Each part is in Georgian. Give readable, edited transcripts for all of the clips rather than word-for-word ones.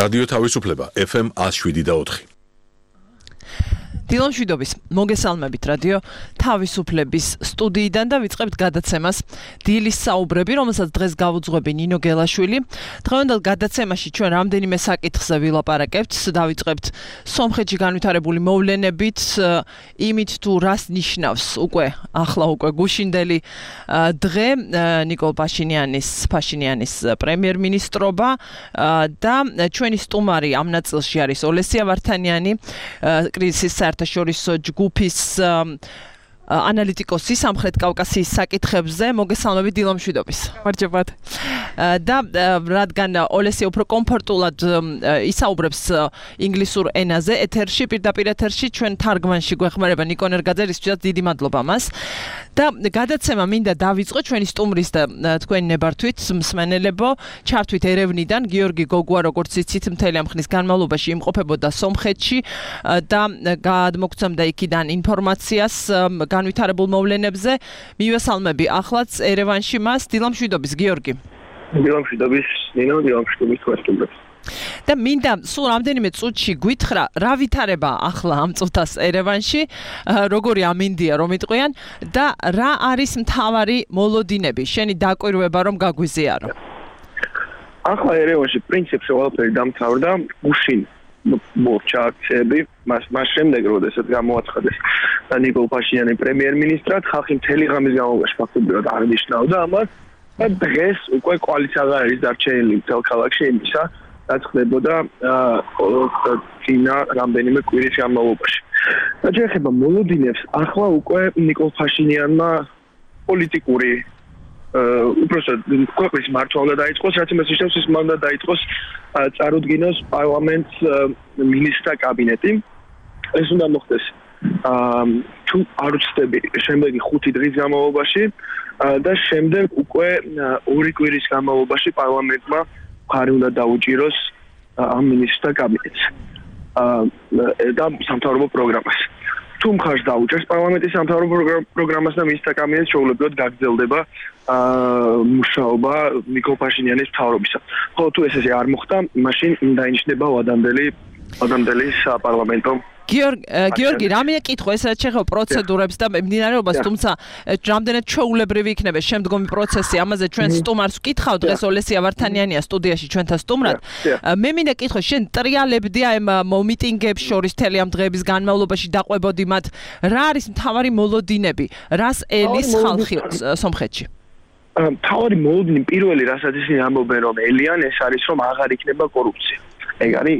რადიო თავისუფლება FM 107.4. დილომშვიდობის მოგესალმებით რადიო თავისუფლების სტუდიიდან და ვიწყებთ გადაცემას დილის საუბრები, რომელსაც დღეს გავუძღვები ნინო გელაშვილი. დღევანდელ გადაცემაში ჩვენ რამდენიმე საკითხზე ვილაპარაკებთ, დავიწყებთ სომხეთში განვითარებული მოვლენებით, იმით თუ რას ნიშნავს ახლა უკვე გუშინდელი დღე ნიკოლ ფაშინიანის პრემიერ-მინისტრობა და ჩვენი სტუმარი ამ ნაწილში არის ოლესია ვართანიანი, კრიზისის საერთაშორისო ჯგუფის ანალიტიკოსი სამხრეთ კავკასიის საკითხებზე. მოგესალმებით დილომშვიდობის. გამარჯობათ. და რადგან ოლესია უფრო კომფორტულად ისაუბრებს ინგლისურ ენაზე ეთერში, პირდაპირ ეთერში ჩვენ თარგმანში გვეხმარება ნიკონ ერგაძე, რისთვისაც დიდი მადლობა მას. და გადაცემა მინდა დავიწყო ჩვენი სტუმრის და თქვენი ნებართვით მსმენელებო, ჩართვით ერევნიდან გიორგი გოგუა, როგორც იცით, მთელი ამ ხნის განმავლობაში იმყოფებოდა სომხეთში და გადმოგცემდა იქიდან ინფორმაციას განვითარებულ მოვლენებზე. მივესალმები ახლაც ერევანში მას. დილამშვიდობის გიორგი. დილამშვიდობის ნინო, დილამშვიდობის თქვენს. და მინდა სულ რამდენიმე წუთში გვითხრა, რა ვითარება ახლა ამ წუთას ერევანში, როგორი ამინდია რომ იტყვიან და რა არის მთავარი მოლოდინები, შენი დაკვირვება რომ გაგვიზიარო. ახლა ერევანში პრინციპში ყველაფერი დამთავრდა, გუშინ მორჩა აქციები, მას შემდეგ როდესაც გამოაცხადეს ნიკოლ ფაშინიანი პრემიერ-მინისტრად, ხალხი მთელი ღამის განმავლობაში ფაქტობრივად აღნიშნავდა ამას და დღეს უკვე კოალიცია აღარ არის დარჩენილი მთელ ქალაქში იმისა, რაც ხდებოდა წინა რამდენიმე კვირის განმავლობაში. და შეეხება მოლოდინებს, ახლა უკვე ნიკოლ ფაშინიანმა პოლიტიკური უბრალოდ ქვეყნის მარჩვა უნდა დაიწყოს, რაც იმას ნიშნავს, ის უნდა დაიწყოს წარუდგინოს პარლამენტს მინისტრთა კაბინეტი. ეს უნდა მოხდეს თუ არ ვცდები შემდეგი 5 დღის განმავლობაში და შემდეგ უკვე 2 კვირის განმავლობაში პარლამენტმა მხარი უნდა დაუჭიროს ამ მინისტრთა კაბინეტს და სამთავრობო პროგრამას. თუ მხარს დაუჭერს პარლამენტის სამთავრობო პროგრამას და მინისტრთა კაბინეტს, შეუძლებლად გაგრძელდება მუშაობა ნიკოლ ფაშინიანის მთავრობისა. ხოლო თუ ეს არ მოხდა, მაშინ დაინიშნება ვადამდელი საპარლამენტო. გიორგი, რამე კითხვა, ეს რაც შეეხება პროცედურებს და მიმდინარეობას, თუმცა რამდენად ჩვეულებრივი იქნება შემდგომი პროცესი, ამაზე ჩვენ სტუმარს ვკითხავ, დღეს ოლესია ვართანიანია სტუდიაში ჩვენთან სტუმრად. მე მინდა კითხო, შენ ტრიალებდი ამ მიტინგებს შორის მთელი ამ დღეების განმავლობაში დაყვებოდი მათ, რა არის მთავარი მოლოდინები, რას ელის ხალხი სომხეთში? მთავარი მოლოდინი პირველი, რასაც ისინი ამბობენ, რომ ელიან, ეს არის, რომ აღარ იქნება კორუფცია. ეგ არის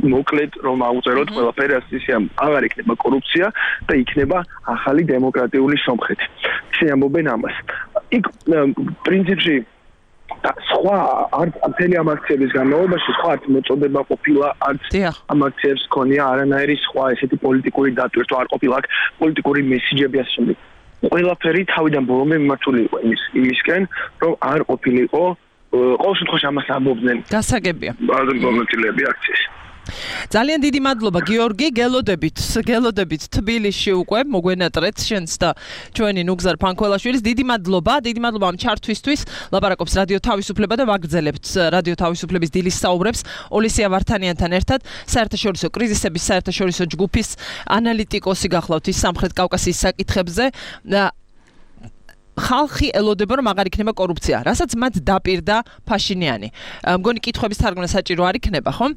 მოკლედ რომ აუწეროთ ყველაფერი, აღარ იქნება კორუფცია და იქნება ახალი დემოკრატიული სომხეთი. ისინი ამბობენ ამას. იქ პრინციპში სხვა არც მთელი ამ აქციების განმავლობაში სხვა არც მოწოდება ყოფილა, არც ამ აქციებს ქონია არანაირი სხვა ესეთი პოლიტიკური დატვირთვა არ ყოფილა, აქ პოლიტიკური მესიჯები ასე შემდეგ. ყველაფერი თავიდან ბოლომდე მიმართული იყო იმისკენ, რომ არ ყოფილიყო ყოველ შემთხვევაში ამას ამბობდნენ. გასაგებია. მონაწილეები აქციის. ძალიან დიდი მადლობა გიორგი, გელოდებით თბილისში უკვე მოგვენატრეთ შენს და ჩვენი ნუგზარ ფანქველაშვილის. დიდი მადლობა ამ ჩართვისთვის. ლაპარაკობს რადიო თავისუფლება და ვაგრძელებთ რადიო თავისუფლების დილის საუბრებს ოლესია ვართანიანთან ერთად. საერთაშორისო კრიზისების საერთაშორისო ჯგუფის ანალიტიკოსი გახლავთ ის სამხრეთ კავკასიის საკითხებზე. ხალხი ელოდება რომ აღარ იქნება კორუფცია, რასაც მათ დაპირდა ფაშინიანი. მგონი კითხვების თარგმნა საჭირო არ იქნება, ხომ?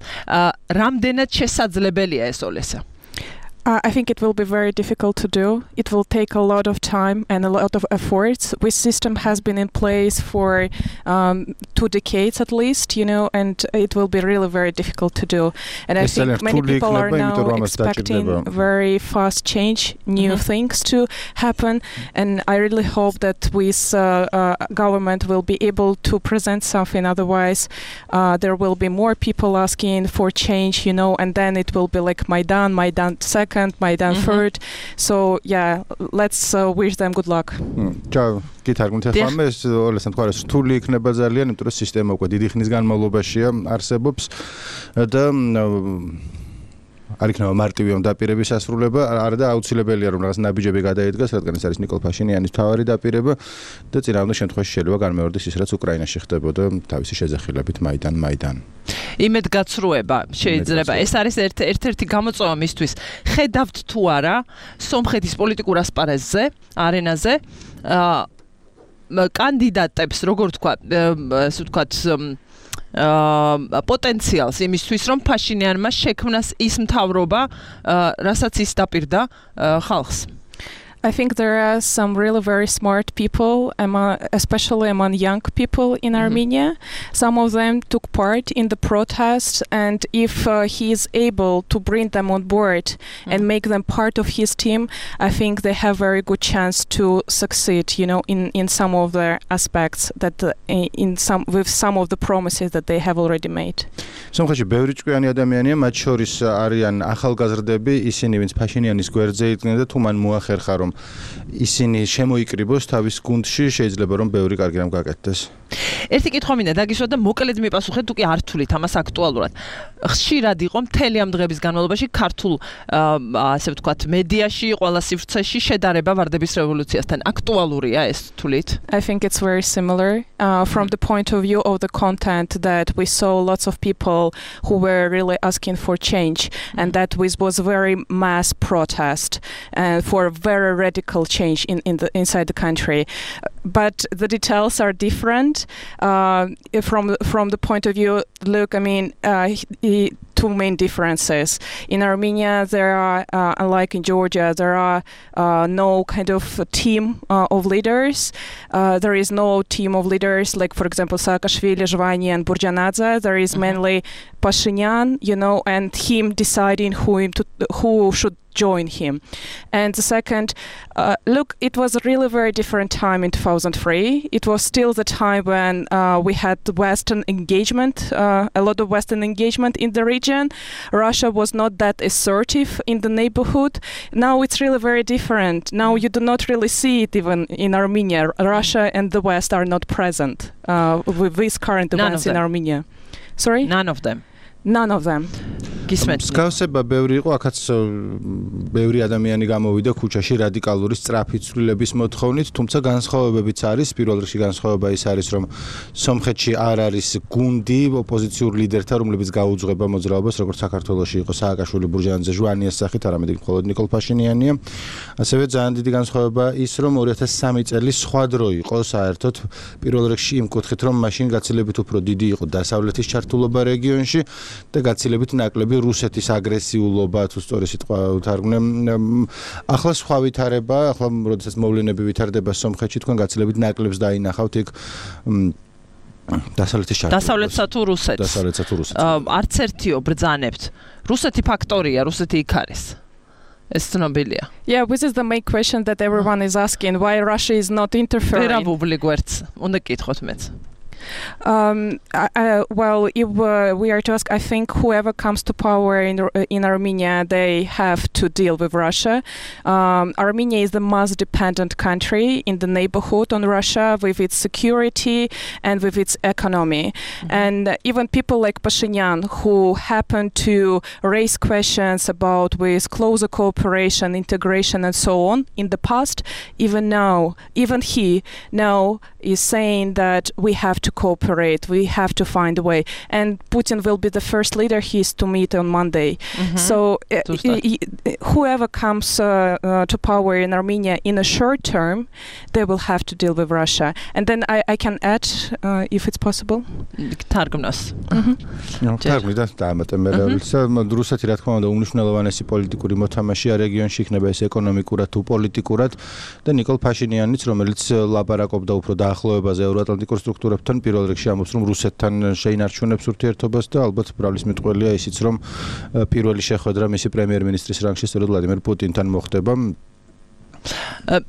რამდენად შესაძლებელია ეს ოლესა? I think it will be very difficult to do. It will take a lot of time and a lot of efforts. This system has been in place for 2 decades at least, and it will be really very difficult to do. And I think many people are now expecting very fast change, new things to happen. And I really hope that this government will be able to present something. Otherwise, there will be more people asking for change, and then it will be like Maidan second. Maidan third. So yeah, let's wish them good luck. Ciao. გითარგმნით ახლა მე ოლესთან თქვა რომ რთული იქნება ძალიან, იმიტომ რომ სისტემა უკვე დიდი ხნის განმავლობაშია არსებობს და არ იქნება მარტივი ამ დაპირების ასრულება, არა და აუცილებელია რომ რაღაც ნაბიჯები გადაიდგას, რადგან ეს არის ნიკოლ ფაშინიანის მთავარი დაპირება და წინააღმდეგ შემთხვევაში შეიძლება განმეორდეს ის, რაც უკრაინაში ხდებოდა თავისი შეძახილებით მაიდან. იმედგაცრუება შეიძლება. ეს არის ერთ-ერთი გამოწვევა მისთვის. ხედავთ თუ არა სომხეთის პოლიტიკურ ასპარეზზე, არენაზე, კანდიდატებს, როგორ თქვა, ასე ვთქვათ, პოტენციალს იმისთვის, რომ ფაშინიანმა შექმნას ის მთავრობა, რასაც ის დაპირდა ხალხს. I think there are some really very smart people, especially among young people in Armenia. Some of them took part in the protests, and if he is able to bring them on board and make them part of his team, I think they have very good chance to succeed, in some of the aspects that with some of the promises that they have already made. სომხეთში ბევრი ჭკვიანი ადამიანია, მათ შორის არიან ახალგაზრდები, ისინი ვინც ფაშინიანის გვერდზე იდგნენ და თუ მან მოახერხა რომ ისინი შემოიკრიბოს თავის გუნდში, შეიძლება რომ ბევრი კარგი რამ გაკეთდეს. ერთი კითხვა მინდა დაგისვა და მოკლედ მიპასუხეთ, თუ კი არ თulit ამას აქტუალურად. ხშირად იყო მთელი ამ დღების განმავლობაში ქართულ, ასე ვთქვათ, მედიაში, ყველა სივრცეში შედარება ვარდების რევოლუციასთან. აქტუალურია ეს თulit? I think it's very similar from the point of view of the content that we saw lots of people who were really asking for change, and that was very mass protest for very radical change inside the country. But the details are different from the point of view. Look, I mean, two main differences. In Armenia, there are, unlike in Georgia, there are no kind of team of leaders. There is no team of leaders like, for example, Saakashvili, Zhvani, and Burjanadze. There is mainly Pashinyan, and him deciding who should join him. And the second, look, it was a really very different time in 2003. It was still the time when we had Western engagement, a lot of Western engagement in the region. Russia was not that assertive in the neighborhood. Now it's really very different. Now you do not really see it even in Armenia. Russia and the West are not present with these current events in Armenia. Sorry? None of them. None of them. მსგავსება ბევრი იყო, აქაც ბევრი ადამიანი გამოვიდა ქუჩაში რადიკალური სწრაფი ცვლილების მოთხოვნით, თუმცა განსხვავებებიც არის. პირველ რიგში განსხვავება ის არის, რომ სომხეთში არ არის გუნდი ოპოზიციურ ლიდერთა, რომლებიც გაუძღვება მოძრაობას, როგორც საქართველოში იყო სააკაშვილი, ბურჟანაძე, ჟვანიას სახით, არამედ მხოლოდ ნიკოლ ფაშინიანია. ასევე ძალიან დიდი განსხვავება ის, რომ 2003 წელი სხვა დრო იყო საერთოდ, პირველ რიგში იმ კუთხით, რომ მაშინ გაცილებით უფრო დიდი იყო დასავლეთის ჩართულობა რეგიონში და გაცილებით ნაკლები რუსეთის აგრესიულობა, თუ სწორი სიტყვა უთარგმნე. ახლა სხვა ვითარება, ახლა როდესაც მოვლენები ვითარდება სომხეთში, თქვენ გაცილებით ნაკლებს დაინახავთ იქ დასავლეთსა თუ რუსეთს. არც ერთიო ბრძანებთ. რუსეთი ფაქტორია, რუსეთი იქ არის. ეს ცნობილია. Yeah, this is the main question that everyone is asking, why Russia is not interfering. ვერაბუბლი გვერდს. უნდა გითხოთ მეც. Well, if we are to ask, I think whoever comes to power in Armenia, they have to deal with Russia. Armenia is the most dependent country in the neighborhood on Russia with its security and with its economy. And even people like Pashinyan, who happen to raise questions about with closer cooperation, integration, and so on in the past, even he now is saying that we have to cooperate, we have to find a way, and Putin will be the first leader he is to meet on Monday. So whoever comes to power in Armenia in a short term, they will have to deal with Russia. And then I can add, if it's possible. თარგმნას. თარგმნიდა დაამატებელია. რუსეთი რა თქმა უნდა უმნიშვნელოვანესი პოლიტიკური მოთამაშეა რეგიონში, იქნება ეს ეკონომიკურად თუ პოლიტიკურად და ნიკოლ ფაშინიანიც, რომელიც ლაპარაკობდა უფრო დაახლოებაზე ევროატლანტიკურ სტრუქტურებთან, პირველ რიგში ამბობს, რომ რუსეთთან შეინარჩუნებს ურთიერთობას და ალბათ ბრალის მეტყველია ისიც, რომ პირველი შეხვედრა მისი პრემიერ-მინისტრის რანგში სწორედ ვლადიმერ პუტინთან მოხდება.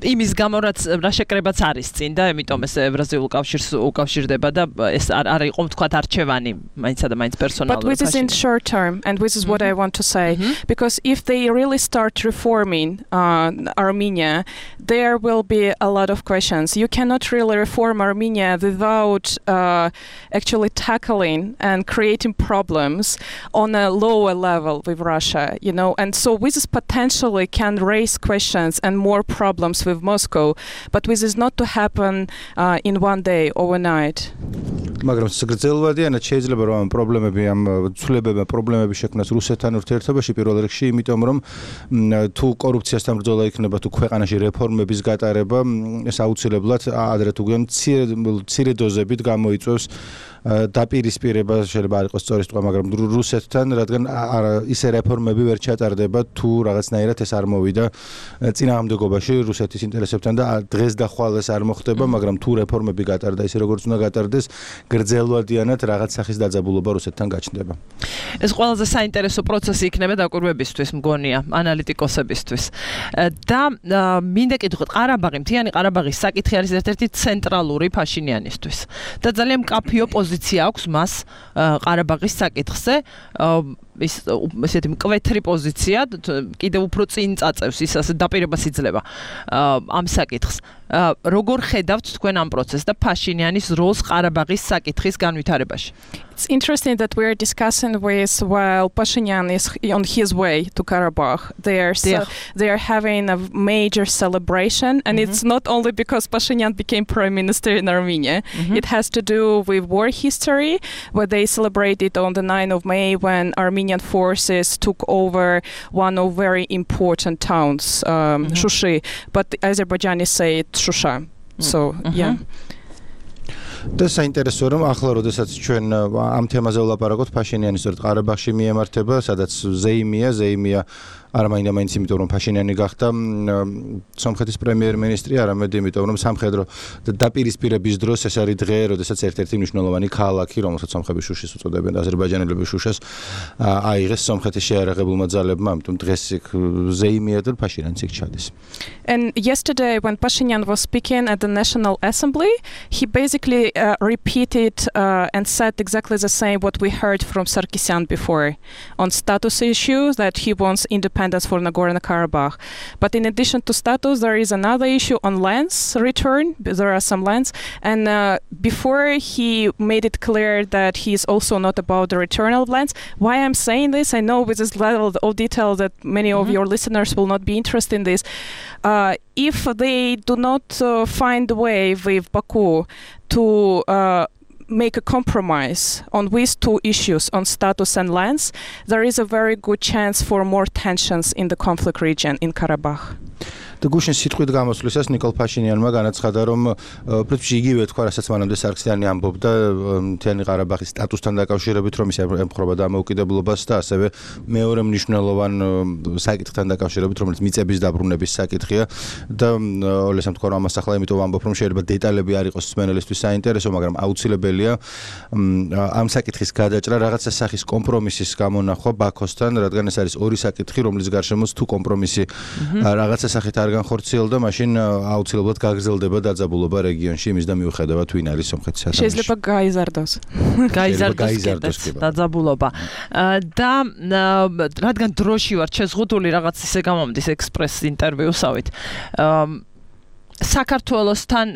იმის გამო რაც რა შეკრებაც არის წინ და ამიტომ ეს ევრაზიულ კავშირს უკავშირდება და ეს არ იყო თქვათ არჩევანი მაინცსა და მაინც პერსონალური. But this is in short term, and this is what I want to say, because if they really start reforming Armenia, there will be a lot of questions. You cannot really reform Armenia without actually tackling and creating problems on a lower level with Russia, and so this potentially can raise questions and more problems with Moscow, but this is not to happen in one day, overnight. მაგრამ გრძელვადიანად შეიძლება რომ ამ პრობლემები ამ ცვლილებებმა პრობლემები შექმნას რუსეთთან ურთიერთობაში პირველ რიგში, იმიტომ რომ თუ კორუფციასთან ბრძოლა იქნება, თუ ქვეყანაში რეფორმების გატარება, ეს აუცილებლად ადრე თუ გვიან მცირე დოზებით გამოიწვევს დაპირისპირება შეიძლება არ იყოს სწორი სიტყვა, მაგრამ რუსეთთან, რადგან ისე რეფორმები ვერ ჩატარდება, თუ რაღაცნაირად ეს არ მოვიდა წინააღმდეგობაში რუსეთის ინტერესებთან და დღეს და ხვალ ეს არ მოხდება, მაგრამ თუ რეფორმები გატარდა ისე როგორც უნდა გატარდეს, გრძელვადიანად რაღაც სახის დაძაბულობა რუსეთთან გაჩნდება. ეს ყველაზე საინტერესო პროცესი იქნება დაკვირვებისთვის, მგონია, ანალიტიკოსებისთვის. და მინდა კითხოთ, ყარაბაღი, მთიანი ყარაბაღის საკითხი არის ერთ-ერთი ცენტრალური ფაშინიანისთვის. და ძალიან მკაფიო პოზიცია აქვს მას ყარაბაღის საკითხზე. ესეთი მკვეთრი პოზიცია, კიდევ უფრო წინ წაწევს ის ასე დაპირებას იძლევა ამ საკითხს. როგორ ხედავთ თქვენ ამ პროცესს და փაშინიანის როლს ყარაბაღის საკითხის განვითარებაში? It's interesting that we are discussing with while Pashinyan is on his way to Karabakh. They are having a major celebration, and it's not only because Pashinyan became prime minister in Armenia. It has to do with war history, where they celebrated on the 9th of May when Armenian forces took over one of very important towns, Shushi, but the Azerbaijanis say it's Shusha. So, yeah. და საინტერესოა რომ ახლა როდესაც ჩვენ ამ თემაზე ვლაპარაკობთ, ფაშინიანი სწორედ ყარაბაღში მიემართება, სადაც ზეიმია არამაინდა-მაინც იმიტომ რომ ფაშინიანი გახდა სომხეთის პრემიერ-მინისტრი, არამედ იმიტომ რომ სამხედრო დაპირისპირების დროს ეს არის დღე, როდესაც ერთ-ერთი მნიშვნელოვანი ქალაქი, რომელსაც სომხები შუშის უწოდებენ და აზერბაიჯანელები შუშას აიღეს სომხეთის შეიარაღებულმა ძალებმა, ამიტომ დღეს ზეიმია და ფაშინიანიც იქ ჩადის. And yesterday when Pashinyan was speaking at the National Assembly, he basically repeated and said exactly the same what we heard from Sarkisyan before on status issues, that he wants independence for Nagorno-Karabakh. But in addition to status, there is another issue on lands return. There are some lands. And before he made it clear that he is also not about the return of lands. Why I'm saying this, I know with this level of detail that many of your listeners will not be interested in this. If they do not find a way with Baku to make a compromise on these two issues, on status and lands, there is a very good chance for more tensions in the conflict region in Karabakh. და გუშინ სიტყვით გამოსვლისას ნიკოლ ფაშინიანმა განაცხადა, რომ პრინციპში იგივე თქვა, რასაც მანამდე სარქისიანი ამბობდა მთიანი ყარაბაღის სტატუსთან დაკავშირებით, რომ ის ემხრობა დამოუკიდებლობას და ასევე მეორე მნიშვნელოვან საკითხთან დაკავშირებით, რომელიც მიწების დაბრუნების საკითხია და ოლესამ თქვა, რომ ამას ახლა იმიტომ ვამბობ, რომ შეიძლება დეტალები არ იყოს მსმენელისთვის საინტერესო, მაგრამ აუცილებელია ამ საკითხის გადაჭრა, რაღაცა სახის კომპრომისის გამონახვა ბაქოსთან, რადგან ეს არის ორი საკითხი, რომლის გარშემოც თუ კომპრომისი რაღაცა სახით არ განხორციელდა, მაშინ აუცილებლად გაგრძელდება დაძაბულობა რეგიონში, იმის და მიუხედავად ვინ არის სომხეთის სათამაშო. შეიძლება გაიზარდოს. გაიზარდოს დაძაბულობა. და რადგან დროში ვარ შეზღუდული, რაღაც ისე გამომდის ექსპრეს ინტერვიუსავით. საქართველოსთან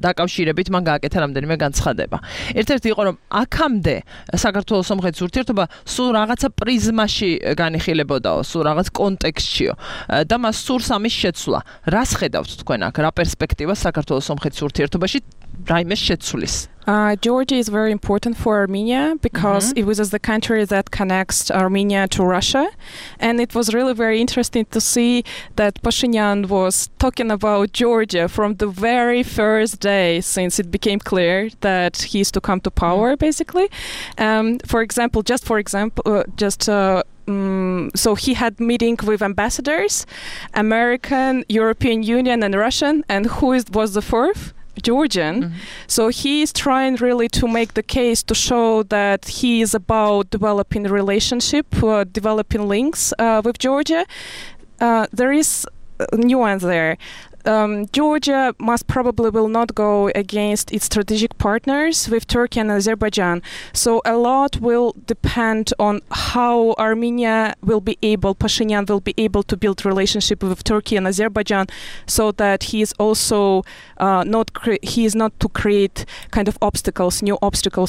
დაკავშირებით მან გააკეთა რამდენიმე განცხადება. ერთ-ერთი იყო, რომ აქამდე საქართველოს სომხეთის ურთიერთობა სულ რაღაცა პრიზმაში განიხილებოდაო, სულ რაღაც კონტექსტშიო და მას სურს ამის შეცვლა. რას ხედავთ თქვენ აქ? რა პერსპექტივა საქართველოს სომხეთის ურთიერთობაში რაიმეს შეცვლის? Georgia is very important for Armenia because it was the country that connects Armenia to Russia, and it was really very interesting to see that Pashinyan was talking about Georgia from the very first day since it became clear that he is to come to power, basically. So he had meeting with ambassadors, American, European Union, and Russian, and was the fourth? Georgian. So he is trying really to make the case to show that he is about developing relationship, developing links with Georgia. There is a nuance there. Georgia most probably will not go against its strategic partners with Turkey and Azerbaijan. So a lot will depend on how Pashinyan will be able to build relationship with Turkey and Azerbaijan, so that he is also not to create kind of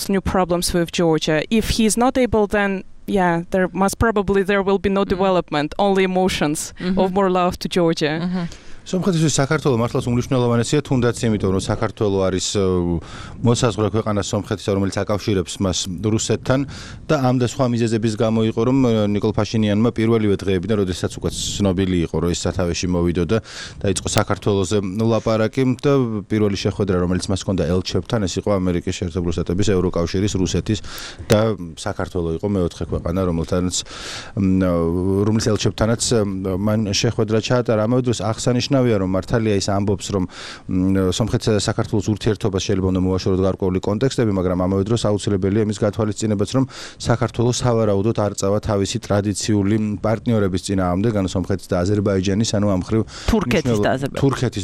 new problems with Georgia. If he is not able, then there will be no development, only emotions of more love to Georgia. სომხეთის საქართველოს მართლაც უმნიშვნელოვანესია, თუნდაც იმიტომ, რომ საქართველოს არის მოსაზღვრე ქვეყანა სომხეთის, რომელიც აკავშირებს მას რუსეთთან და ამ და სხვა მიზეზების გამო იყო, რომ ნიკოლ ფაშინიანმა პირველივე დღეებიდან, როდესაც უკვე ცნობილი იყო, რომ ის სათავეში მოვიდო და დაიწყო საქართველოზე ლაპარაკი და პირველი შეხვედრა, რომელიც მას ჰქონდა ელჩებთან, ეს იყო ამერიკის შეერთებული შტატების, ევროკავშირის, რუსეთის და საქართველოს იყო მეოთხე ქვეყანა, რომლის ელჩებთანაც მან შეხვედრა ჩაატარა. ამავე დროს აღსანიშნავია, რომ მართალია ის ამბობს, რომ სომხეთსა და საქართველოს ურთიერთობას შეიძლება უნდა მოაშოროთ გარკვეული კონტექსტები, მაგრამ ამავე დროს აუცილებელია იმის გათვალისწინებაც, რომ საქართველოს სავარაუდოდ არ წავა თავისი ტრადიციული პარტნიორების წინააღმდეგ, ანუ სომხეთის და აზერბაიჯანის, ანუ ამ მხრივ თურქეთის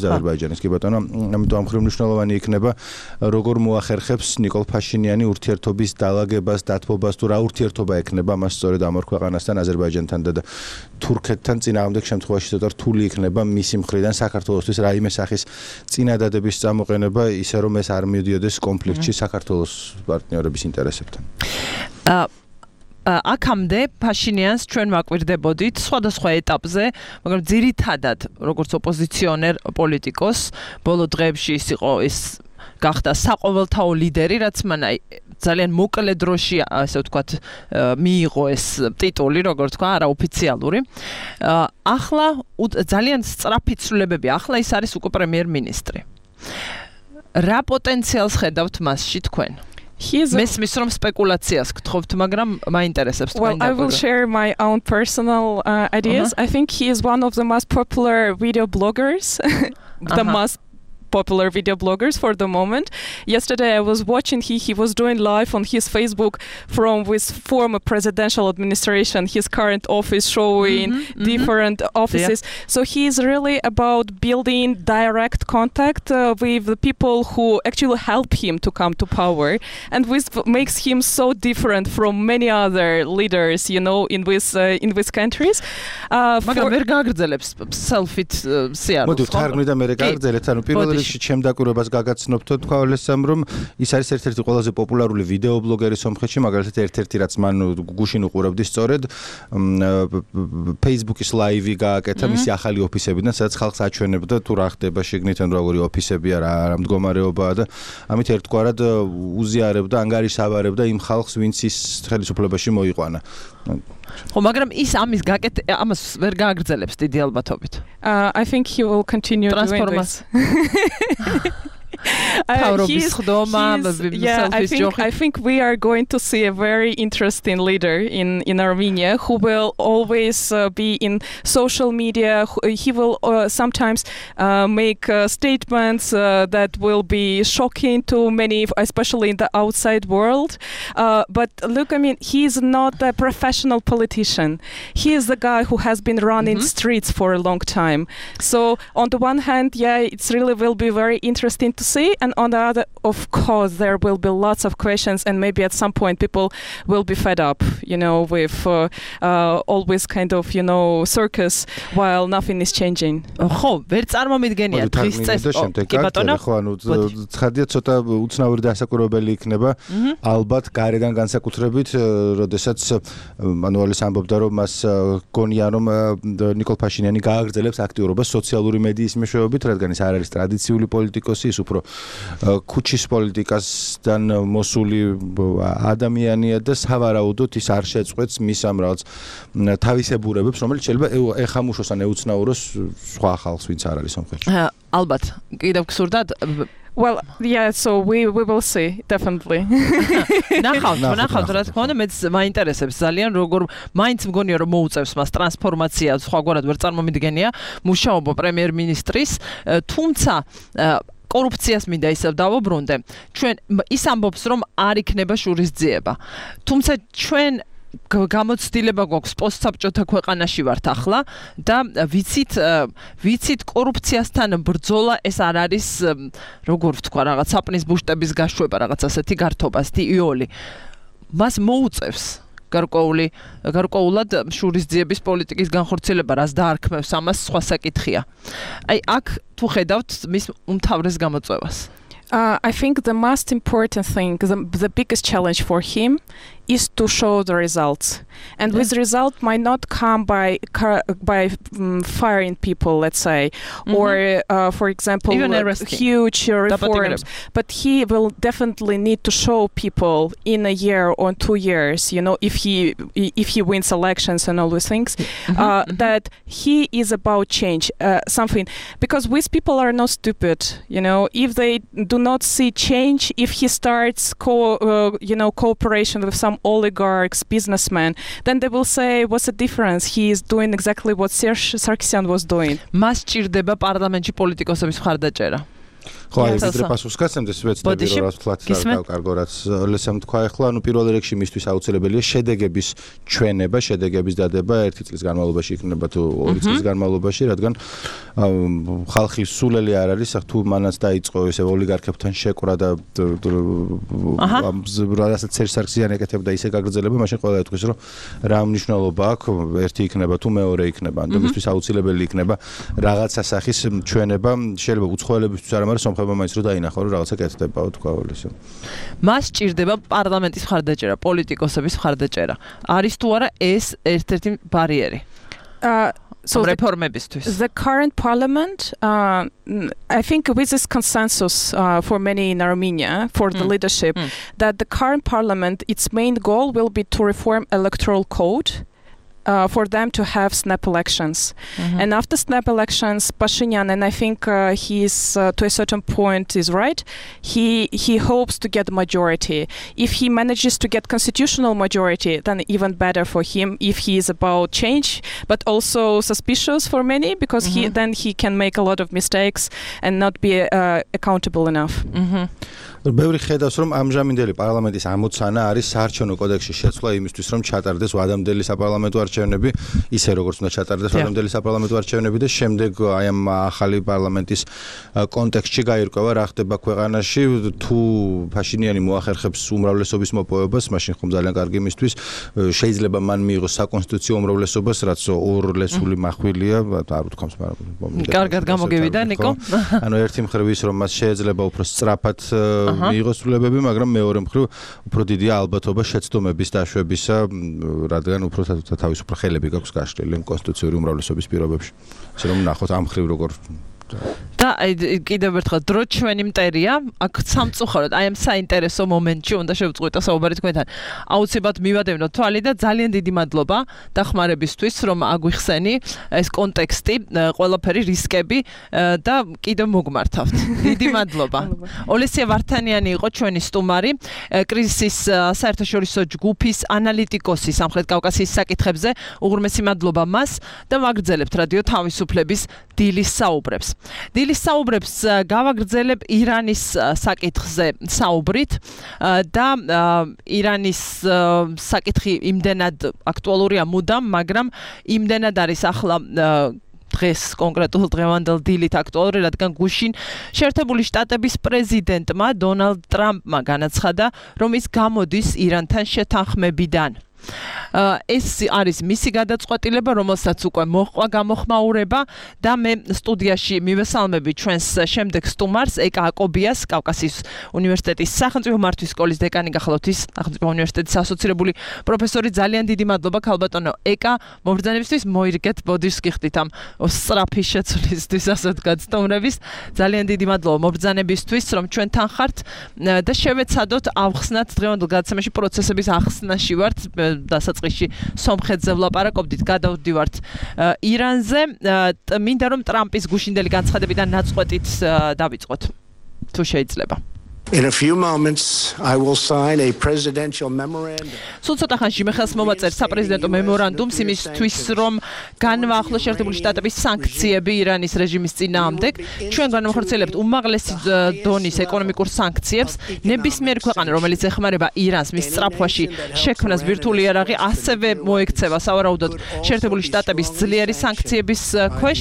და აზერბაიჯანის, კი ბატონო, ამიტომ ამ მხრივ მნიშვნელოვანი იქნება, როგორ მოახერხებს ნიკოლ ფაშინიანი ურთიერთობის დალაგებას, დათბობას, თუ რა ურთიერთობა ექნება მას სწორედ ამ ორ ქვეყანასთან, აზერბაიჯანთან და თურქეთთან წინააღმდეგ შემთხვევაში ცოტა რთული იქნება მისი მხრიდან საქართველოსთვის რაიმე სახის წინადადების წამოყენება, ისე რომ ეს არ მიდიოდეს კონფლიქტში საქართველოს პარტნიორების ინტერესებთან. აქამდე ფაშინიანს ჩვენ ვაკვირდებოდით სხვადასხვა ეტაპზე, მაგრამ ძირითადად როგორც ოპოზიციონერ პოლიტიკოს ბოლო დღეებში ის იყო გახდა საყოველთაო ლიდერი, რაც მან ძალიან მოკლე დროში, ასე ვთქვათ, მიიღო ეს ტიტული, როგორც თქვა, არაოფიციალური. ახლა ძალიან სწრაფი ცვლილებები, ახლა ის არის უკვე პრემიერ-მინისტრი. რა პოტენციალს ხედავთ მასში თქვენ? მესმის რომ სპეკულაციას გთხოვთ, მაგრამ მაინტერესებს თქვენ. Well, I will share my own personal ideas. I think he is one of the most popular video bloggers. The most popular video bloggers for the moment. Yesterday I was watching he was doing live on his Facebook from his former presidential administration, his current office, showing different offices. Yeah. So he is really about building direct contact with the people who actually help him to come to power, and which makes him so different from many other leaders, you know, in these countries. მაგრამ ვერ გააგრძელებს self-it სიარულს. მოდი თარგმნი და მე გააგრძელეთ, ანუ პირველ ჩემ დაკვირვებას გაგაცნობთო, თქვა ოლესამ, რომ ის არის ერთ-ერთი ყველაზე პოპულარული ვიდეო ბლოგერი სომხეთში, მაგალითად ერთ-ერთი რაც მან გუშინ უყურებდი სწორედ Facebook-ის ლაივი გააკეთა მისი ახალი ოფისებიდან, სადაც ხალხს აჩვენებდა თუ რა ხდება შიგნით, ან როგორი ოფისებია, რა მდგომარეობაა და ამით ერთგვარად უზიარებდა, ანგარიშსავარებდა იმ ხალხს, ვინც ის ხელისუფლებაში მოიყვანა. ხო, მაგრამ ის ამას ვერ გააგრძელებს დიდი 알ბათობით. I think he will continue doing this. I think we are going to see a very interesting leader in Armenia who will always be in social media. He will sometimes make statements that will be shocking to many, especially in the outside world. But look, I mean, he is not a professional politician. He is the guy who has been running streets for a long time. So on the one hand, yeah, it's really will be very interesting to see, and on the other, of course, there will be lots of questions, and maybe at some point people will be fed up, you know, with always kind of, you know, circus while nothing is changing. ხო, ვერ წარმომიდგენია დღის წესრიგს. კი ბატონო. ხო, ანუ ცხადია ცოტა უცნაური დასაკვირვებელი იქნება, ალბათ გარედან განსაკუთრებით, როდესაც მანუალის ამბობდა, რომ მას გონია, რომ ნიკოლ ფაშინიანი გააგრძელებს აქტიურობას სოციალური მედიის მეშვეობით, რადგან ის არ არის ტრადიციული პოლიტიკოსი, ის უფრო ქუჩის პოლიტიკასთან მოსული ადამიანია და სავარაუდოდ ის არ შეწყვეტს მის ამ რაღაც თავისებურებებს, რომელიც შეიძლება ეხამუშოს ან ეუცნაუროს სხვა ხალხს, ვინც არ არის სომხეთში. ალბათ, კიდევ გსურდათ. Well, yeah, so we will see, definitely. ნახავთ, რა თქმა უნდა, მეც მაინტერესებს ძალიან, როგორ მაინც მგონია, რომ მოუწევს მას ტრანსფორმაცია, სხვაგვარად ვერ წარმომიდგენია მუშაობა პრემიერ-მინისტრის, თუმცა კორუფციას მინდა ისევ დავუბრუნდე. ჩვენ ის ამბობს, რომ არ იქნება შურისძიება. თუმცა ჩვენ გამოცდილება გვაქვს პოსტსაბჭოთა ქვეყანაში ვართ ახლა და ვიცით კორუფციასთან ბრძოლა ეს არ არის როგორ ვთქვა რაღაც საპნის ბუშტების გაშვება რაღაც ასეთი გართობა, სტიოლი. მას მოუწევს გარკვეულად შურისძიების პოლიტიკის განხორციელება, რაც დაარქმევს ამას, სხვა საკითხია. აი აქ თუ ხედავთ მის უმთავრეს გამოწვევას. I think the most important thing, the biggest challenge for him is to show the results. And with result might not come by firing people, let's say, or for example, huge reforms. But he will definitely need to show people in a year or 2 years, if he wins elections and all those things, that he is about change, something. Because these people are not stupid, if they do not see change, if he starts cooperation with some oligarchs, businessmen, then they will say, what's the difference? He is doing exactly what Serge Sarkisian was doing. მას ჭირდება პარლამენტში პოლიტიკოსების მხარდაჭერა. ხო, აი ვიდრე პასუხს გასცემდეს ვეცდები რომ რაც ვთქვათ კარგო რაც ლესამ თქვა ახლა პირველ რიგში მისთვის აუცილებელია შედეგების ჩვენება, შედეგების დადება 1 წლის განმავლობაში იქნება თუ 2 წლის განმავლობაში, რადგან ხალხი სულელი არ არის, თუ მანაც დაიწყო ესე ოლიგარქებთან შეკვრა და რასაც Serge Sarkisian ეკეთებდა ისე გაგრძელება, მაშინ ყველა ეთქვის რომ რა მნიშვნელობა აქვს, ერთი იქნება თუ მეორე იქნება, ანუ მისთვის აუცილებელი იქნება რაღაცა სახის ჩვენება, შეიძლება უცხოელებისთვის არ მაგრამ სომხებმა მაინც რომ დაინახო რომ რაღაცა კეთდებაო თქვა ისე. მას ჭირდება პარლამენტის მხარდაჭერა, პოლიტიკოსების მხარდაჭერა. არის თუ არა ეს ერთ-ერთი ბარიერი? So the current parliament, I think with this consensus for many in Armenia, for the leadership, that the current parliament, its main goal will be to reform electoral code. For them to have snap elections. And after snap elections, Pashinyan, and I think he's to a certain point is right, he hopes to get majority. If he manages to get constitutional majority, then even better for him if he is about change, but also suspicious for many because then he can make a lot of mistakes and not be accountable enough. ბევრი ხედავს რომ ამჟამინდელი პარლამენტის ამოცანა არის საარჩევნო კოდექსში შეცვლა იმისთვის რომ ჩატარდეს ვადამდელი საპარლამენტო არჩევნები ისე როგორც უნდა ჩატარდეს ვადამდელი საპარლამენტო არჩევნები და შემდეგ აი ამ ახალი პარლამენტის კონტექსტში გაირკვევა რა ხდება ქვეყანაში თუ ფაშინიანი მოახერხებს უმრავლესობის მოპოვებას მაშინ ხომ ძალიან კარგი იმისთვის შეიძლება მან მიიღოს საკონსტიტუციო უმრავლესობას რაც ორლესული მახვილია არ ვთქვამს მაგრამ კარგად გამოგევიდა ნიკო ანუ ერთი მხრივ ის რომ მას შეიძლება უფრო სწრაფად მიიღოს ცვლილებები, მაგრამ მეორე მხრივ უფრო დიდია ალბათობა შეცდომების დაშვებისა, რადგან უფრო თავისუფლ ხელები გაქვს გაშლილი კონსტიტუციური უმრავლესობის პირობებში. ასე რომ ნახოთ ამ მხრივ როგორ და კიდევ ერთხელ დრო ჩვენი მტერია, აქ სამწუხაროდ აი ამ საინტერესო მომენტში უნდა შევწყვიტო საუბარი თქვენთან. აუცილებლად მივადევნოთ თვალი და ძალიან დიდი მადლობა დახმარებისთვის, რომ აგვიხსენი ეს კონტექსტი, ყველაფერი რისკები და კიდევ მოგმართავთ. დიდი მადლობა. ოლესია ვართანიანი იყო ჩვენი სტუმარი, კრიზისის საერთაშორისო ჯგუფის ანალიტიკოსი სამხრეთ კავკასიის საკითხებზე. უღრმესი მადლობა მას და ვაგრძელებთ რადიო თავისუფლების დილის საუბრებს. დილის საუბრებს გავაგრძელებ ირანის საკითხზე საუბრით და ირანის საკითხი იმდენად აქტუალურია მუდამ, მაგრამ იმდენად არის ახლა დღეს კონკრეტულ დღევანდელ დილით აქტუალური, რადგან გუშინ შეერთებული შტატების პრეზიდენტმა დონალდ ტრამპმა განაცხადა, რომ ის გამოდის ირანთან შეთანხმებიდან. ეს არის მისი გადაწყვეტილება, რომელსაც უკვე მოჰყვა გამოხმაურება და მე სტუდიაში მივესალმები ჩვენს შემდეგ სტუმარს ეკა აკობიას, კავკასიის უნივერსიტეტის სახელმწიფო მართვის სკოლის დეკანი გახლავთ ის სახელმწიფო უნივერსიტეტის ასოცირებული პროფესორი. ძალიან დიდი მადლობა ქალბატონო ეკა, მობრძანებისთვის მოირგეთ ბოდიშს გიხდით ამ სწრაფი შეცვლისთვის ასე ვთქვათ სტუმრების. ძალიან დიდი მადლობა მობრძანებისთვის, რომ ჩვენთან ხართ და შევეცადოთ ავხსნათ დღევანდელ გადაცემაში პროცესების ახსნაში ვართ. დასაწყისში სომხეთზე ვლაპარაკობდით, გადავდივართ ირანზე. მინდა რომ ტრამპის გუშინდელი განცხადებიდან ნაწყვეტით დავიწყოთ, თუ შეიძლება. In a few moments, I will sign a presidential memorandum. სულ ცოტა ხანში მე ხელს მოვაწერ საპრეზიდენტო მემორანდუმს იმისთვის, რომ განვაახლოს შეერთებული შტატების სანქციები ირანის რეჟიმის წინააღმდეგ. ჩვენ განვახორციელებთ უმაღლესი დონის ეკონომიკურ სანქციებს. ნებისმიერი ქვეყანა, რომელიც ეხმარება ირანს მის სწრაფვაში შექმნას ბირთვული იარაღი, ასევე მოექცევა სავარაუდოდ შეერთებული შტატების ძლიერი სანქციების ქვეშ.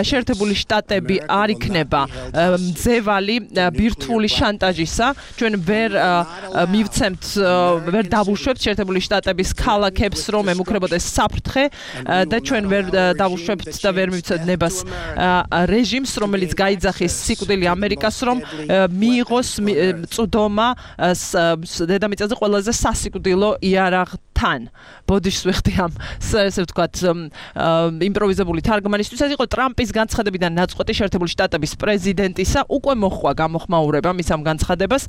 შეერთებული შტატები არ იქნება მძევალი ბირთვული შანტაჟის შორისა ჩვენ ვერ მივცემთ ვერ დავუშვებთ შეერთებული შტატების ქალაქებს რომ ემუქრებოდეს საფრთხე და ჩვენ ვერ დავუშვებთ და ვერ მივცემთ ნებას რეჟიმს რომელიც გაიძახის სიკვდილი ამერიკას რომ მიიღოს წვდომა დედამიწაზე ყველაზე სასიკვდილო იარაღთან ბოდიშს ვიხდი ამ ესე ვთქვათ იმპროვიზებული თარგმანისთვის ეს იყო ტრამპის განცხადებიდან ნაწყვეტი შეერთებული შტატების პრეზიდენტისა უკვე მოხდა გამოხმაურება მის ამ განცხადებას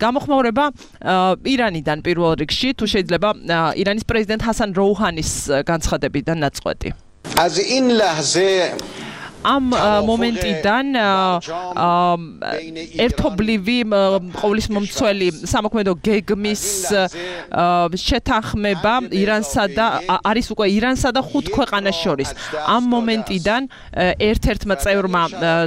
გამოხმაურება ირანიდან პირველ რიგში თუ შეიძლება ირანის პრეზიდენტ ჰასან როუჰანის განცხადებიდან ნაწყვეტი ამ მომენტიდან ერთობლივი ყოვლის მომცველი სამოქმედო გეგმის შეთანხმება ირანსა და არის უკვე ირანსა და 5 ქვეყანას შორის. ამ მომენტიდან ერთ-ერთმა წევრმა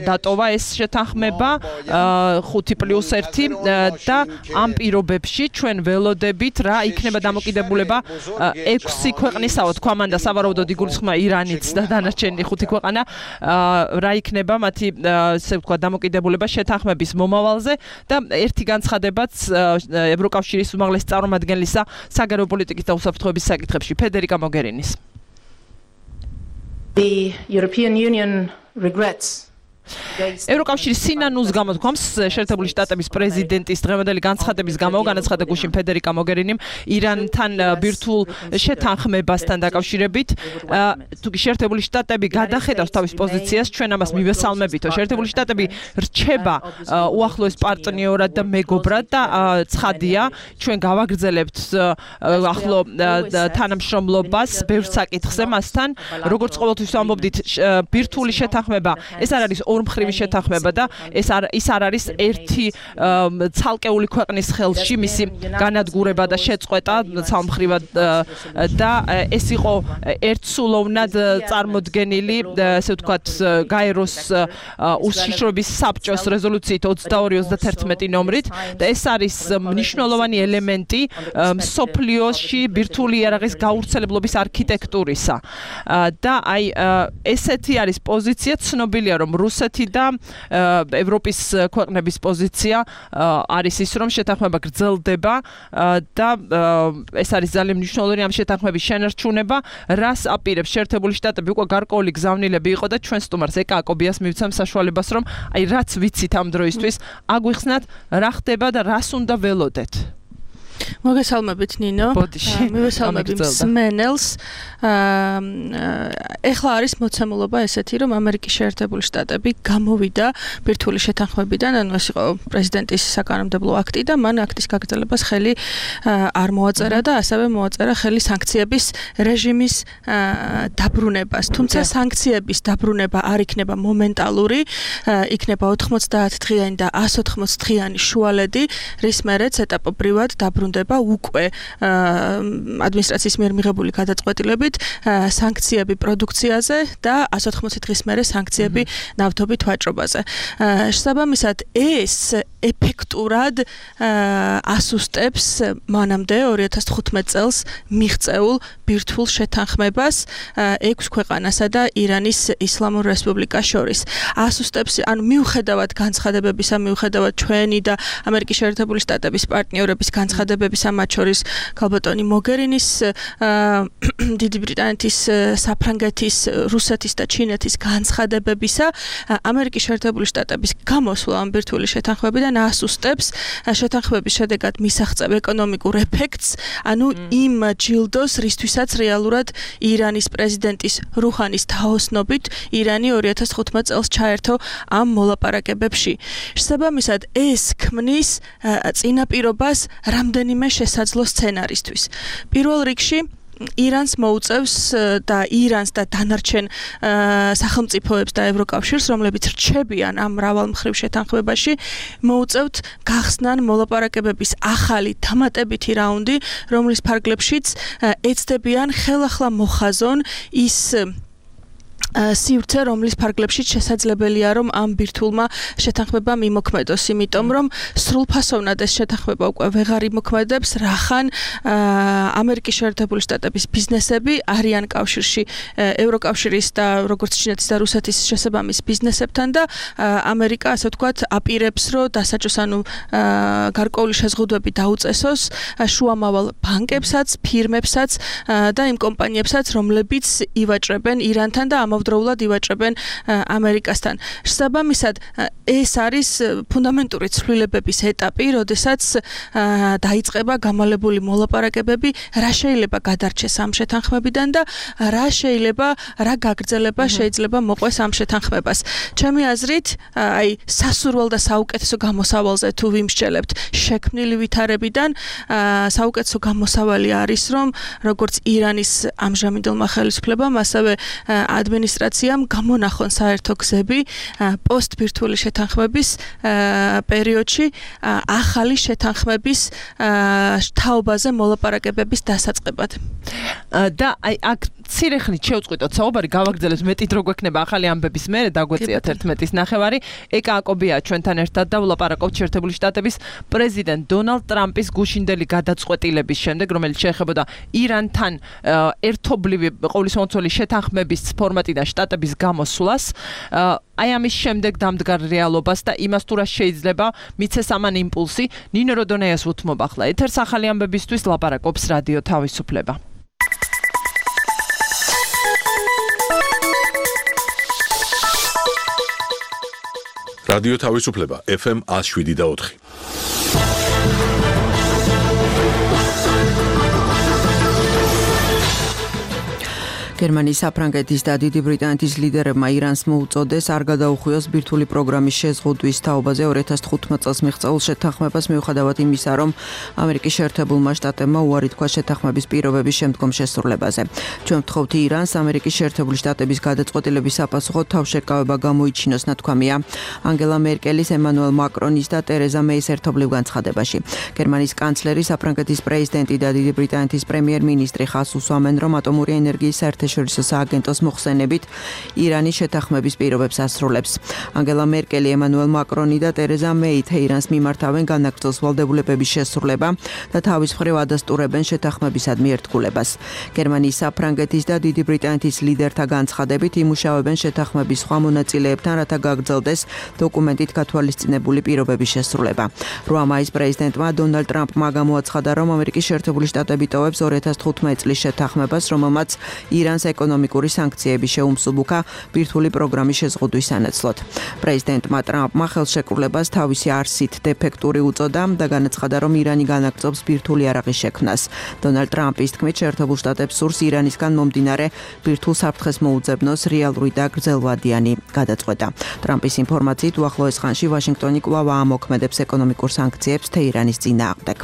დატოვა ეს შეთანხმება 5+1 და ამ პირობებში ჩვენ ველოდებით რა იქნება დამოკიდებულება 6 ქვეყნისაო თქვა მან და სავარაუდოდ იგულისხმება ირანიც და დანარჩენი 5 ქვეყანა რა იქნება მათი ესე ვთქვა დამოკიდებულება შეთანხმების მომავალზე და ერთი განცხადებაც ევროკავშირის უმაღლესი წარმომადგენლისა საგარეო პოლიტიკის და უსაფრთხოების საკითხებში ფედერიკა მოგერინის The European Union regrets ევროკავშირის სინანულს გამოთქვამს შეერთებული შტატების პრეზიდენტის დღევანდელი განცხადების გამო განაცხადა გუშინ ფედერიკა მოგერინიმ ირანთან ბირთვულ შეთანხმებასთან დაკავშირებით თუკი შეერთებული შტატები გადახედავს თავის პოზიციას ჩვენ ამას მივესალმებითო შეერთებული შტატები რჩება უახლოეს პარტნიორად და მეგობრად და ცხადია ჩვენ გავაგრძელებთ ახლო თანამშრომლობას ბევრ საკითხზე მასთან როგორც ყოველთვის ვამბობდით ბირთვული შეთანხმება ეს არ არის ორმხრივი შეთანხმება და ის არ არის ერთი ცალკეული ქვეყნის ხელში მისი განადგურება და შეწყვეტა ცალმხრივად და ეს იყო ერთსულოვნად წარმოდგენილი ესე ვთქვათ გაეროს უშიშროების საბჭოს რეზოლუციით 22-31 ნომრით და ეს არის მნიშვნელოვანი ელემენტი მსოფლიოში ბირთვული იარაღის გავრცელებლობის არქიტექტურისა და აი ესეთი არის პოზიცია ცნობილია რომ რუსეთი და ევროპის ქვეყნების პოზიცია არის ის რომ შეთანხმება გრძელდება და ეს არის ძალიან მნიშვნელოვანი ამ შეთანხმების შენარჩუნება რას აპირებს შეერთებული შტატები უკვე გარკვეული გზავნილები იყო და ჩვენ სტუმარს ეკა აკობიას მივცემ საშუალებას რომ აი რაც ვიცით ამ დროისთვის აგვიხსნათ რა ხდება და რას უნდა ველოდეთ მოგესალმებით ნინო მივესალმებით მსმენელს ეხლა არის მოცემულობა ესეთი რომ ამერიკის შეერთებული შტატები გამოვიდა ბირთვული შეთანხმებიდან ანუ ეს იყო პრეზიდენტის საკანონმდებლო აქტი და მან აქტის გაგრძელებას ხელი არ მოაწერა და ასევე მოაწერა ხელი სანქციების რეჟიმის დაბრუნებას თუმცა სანქციების დაბრუნება არ იქნება მომენტალური იქნება 90 დღიანი და 180 დღიანი შუალედი რის მერეც ეტაპობრივად დაბრუნდება უკვე ადმინისტრაციის მიერ მიღებული გადაწყვეტილებით სანქციები პროდუქციაზე და 180 დღის მერე სანქციები ნავთობის ვაჭრობაზე. შესაბამისად ეს ეფექტურად ასუსტებს მანამდე 2015 წელს მიღწეულ ბირთვულ შეთანხმებას 6 ქვეყანასა და ირანის ისლამურ რესპუბლიკას შორის. ასუსტებს ანუ მიუხედავად განცხადებებისა, მიუხედავად ჩვენი და ამერიკის შეერთებული შტატების პარტნიორების განცხადებებისა, მათ შორის ქალბატონი მოგერინის დიდი ბრიტანეთის, საფრანგეთის, რუსეთის და ჩინეთის განცხადებებისა, ამერიკის შეერთებული შტატების გამოსვლა ამ ბირთვული შეთანხმებიდან ასუსტებს შეთანხმების შედეგად მისაღწევ ეკონომიკურ ეფექტს, ანუ იმ ჯილდოს, რისთვისაც რეალურად ირანის პრეზიდენტის რუჰანის თაოსნობით ირანი 2015 წელს ჩაერთო ამ მოლაპარაკებებში. შესაბამისად, ეს ქმნის წინაპირობას რამდენიმე შესაძლო სცენარისთვის. პირველ რიგში ირანს მოუწევს და ირანს და დანარჩენ სახელმწიფოებს და ევროკავშირს, რომლებიც რჩებიან ამ მრავალმხრივ შეთანხმებაში, მოუწევთ გახსნან მოლაპარაკებების ახალი დამატებითი რაუნდი, რომლის ფარგლებშიც ეცდებიან ხელახლა მოხაზონ ის სივრცე, რომლის ფარგლებში შესაძლებელია, რომ ამ ბირთვულმა შეთანხმებამ იმოქმედოს, იმიტომ რომ სრულფასოვნად ეს შეთანხმება უკვე ვეღარ იმოქმედებს, რახან ამერიკის შეერთებული შტატების ბიზნესები არიან კავშირში ევროკავშირის და როგორც ჩინეთის და რუსეთის შესაბამის ბიზნესებთან და ამერიკა, ასე ვთქვათ, აპირებს, რომ დასაჯოს, ანუ გარკვეული შეზღუდვები დაუწესოს შუამავალ ბანკებსაც, ფირმებსაც და იმ კომპანიებსაც, რომლებიც ივაჭრებენ ირანთან და ამავდროულად ივაჭრებენ ამერიკასთან. შესაბამისად, ეს არის ფუნდამენტური ცვლილებების ეტაპი, როდესაც დაიწყება გამალებული მოლაპარაკებები, რა შეიძლება გადარჩეს ამ შეთანხმებიდან და რა გაგრძელება შეიძლება მოყვეს ამ შეთანხმებას. ჩემი აზრით, აი სასურველ და საუკეთესო გამოსავალზე თუ ვიმსჯელებთ შექმნილი ვითარებიდან, საუკეთესო გამოსავალი არის, რომ როგორც ირანის ამჟამინდელმა ხელისუფლებამ, ასევე ადმინისტრაციამ გამონახონ საერთო გზები პოსტბირთვული შეთანხმების პერიოდში ახალი შეთანხმების თაობაზე მოლაპარაკებების დასაწყებად. და აი აქ მცირე ხნით შევწყვიტოთ საუბარი, გავაგრძელოთ მეტი დრო გვექნება ახალი ამბების მერე, დაგვეციათ 11-ის ნახევარი. ეკა აკობია ჩვენთან ერთად და ვლაპარაკობთ შეერთებული შტატების პრეზიდენტ დონალდ ტრამპის გუშინდელი გადაწყვეტილების შემდეგ, რომელიც შეეხებოდა ირანთან ერთობლივი ყოვლისმომცველი შეთანხმების ფორმატიდან შტატების გამოსვლას. აი ამის შემდეგ დამდგარ რეალობას და იმას თუ რა შეიძლება მიცეს ამან იმპულსი. ნინო როდონეას უთმობ ახლა ეთერს ახალი ამბებისთვის ლაპარაკობს რადიო თავისუფლება. რადიო თავისუფლება FM 107.4. გერმანიის, საფრანგეთის და დიდი ბრიტანეთის ლიდერებმა ირანს მოუწოდეს არ გადაუხვიოს ბირთვული პროგრამის შეზღუდვის თაობაზე 2015 წელს მიღწეულ შეთანხმებას, მიუხედავად იმისა, რომ ამერიკის შეერთებულმა შტატებმა უარი თქვა შეთანხმების პირობების შემდგომ შესრულებაზე. ჩვენ ვთხოვთ ირანს ამერიკის შეერთებული შტატების გადაწყვეტილების საპასუხოდ თავშეკავება გამოიჩინოს, ნათქვამია ანგელა მერკელის, ემანუელ მაკრონის და ტერეზა მეის ერთობლივ განცხადებაში. გერმანიის კანცლერი, საფრანგეთის პრეზიდენტი და დიდი ბრიტანეთის პრემიერ-მინისტრი ხაზს უსვამენ, რომ ატომური ენერგიის საერთაშორისო სააგენტოს მოხსენებით ირანის შეთანხმების პირობებს ასრულებს. ანგელა მერკელი, ემანუელ მაკრონი და ტერეზა მეი თეირანს მიმართავენ განაგრძოს ვალდებულებების შესრულება და თავის მხრივ ადასტურებენ შეთანხმებისადმი ერთგულებას. გერმანიის, საფრანგეთის და დიდი ბრიტანეთის ლიდერთა განცხადებით იმუშავებენ შეთანხმების სხვა მონაწილეებთან, რათა გაგრძელდეს დოკუმენტით გათვალისწინებული პირობების შესრულება. 8 მაისს პრეზიდენტმა დონალდ ტრამპმა გამოაცხადა, რომ ამერიკის შეერთებული შტატები ტოვებს 2015 წლის შეთანხმებას, რომელმაც ირანს ეკონომიკური სანქციები შეუმსუბუქა ბირთვული პროგრამის შეზღუდვის სანაცვლოდ. პრეზიდენტმა ტრამპმა ხელშეკრულებას თავისი არსით დეფექტური უწოდა და განაცხადა, რომ ირანი განაგრძობს ბირთვული იარაღის შექმნას. დონალდ ტრამპის თქმით, შეერთებულ შტატებს სურს ირანისგან მომდინარე ბირთვულ საფრთხეს მოუძებნოს რეალური და გრძელვადიანი გადაწყვეტა. ტრამპის ინფორმაციით, უახლოეს ხანში ვაშინგტონი კვლავ ამოქმედებს ეკონომიკურ სანქციებს თეირანის წინააღმდეგ.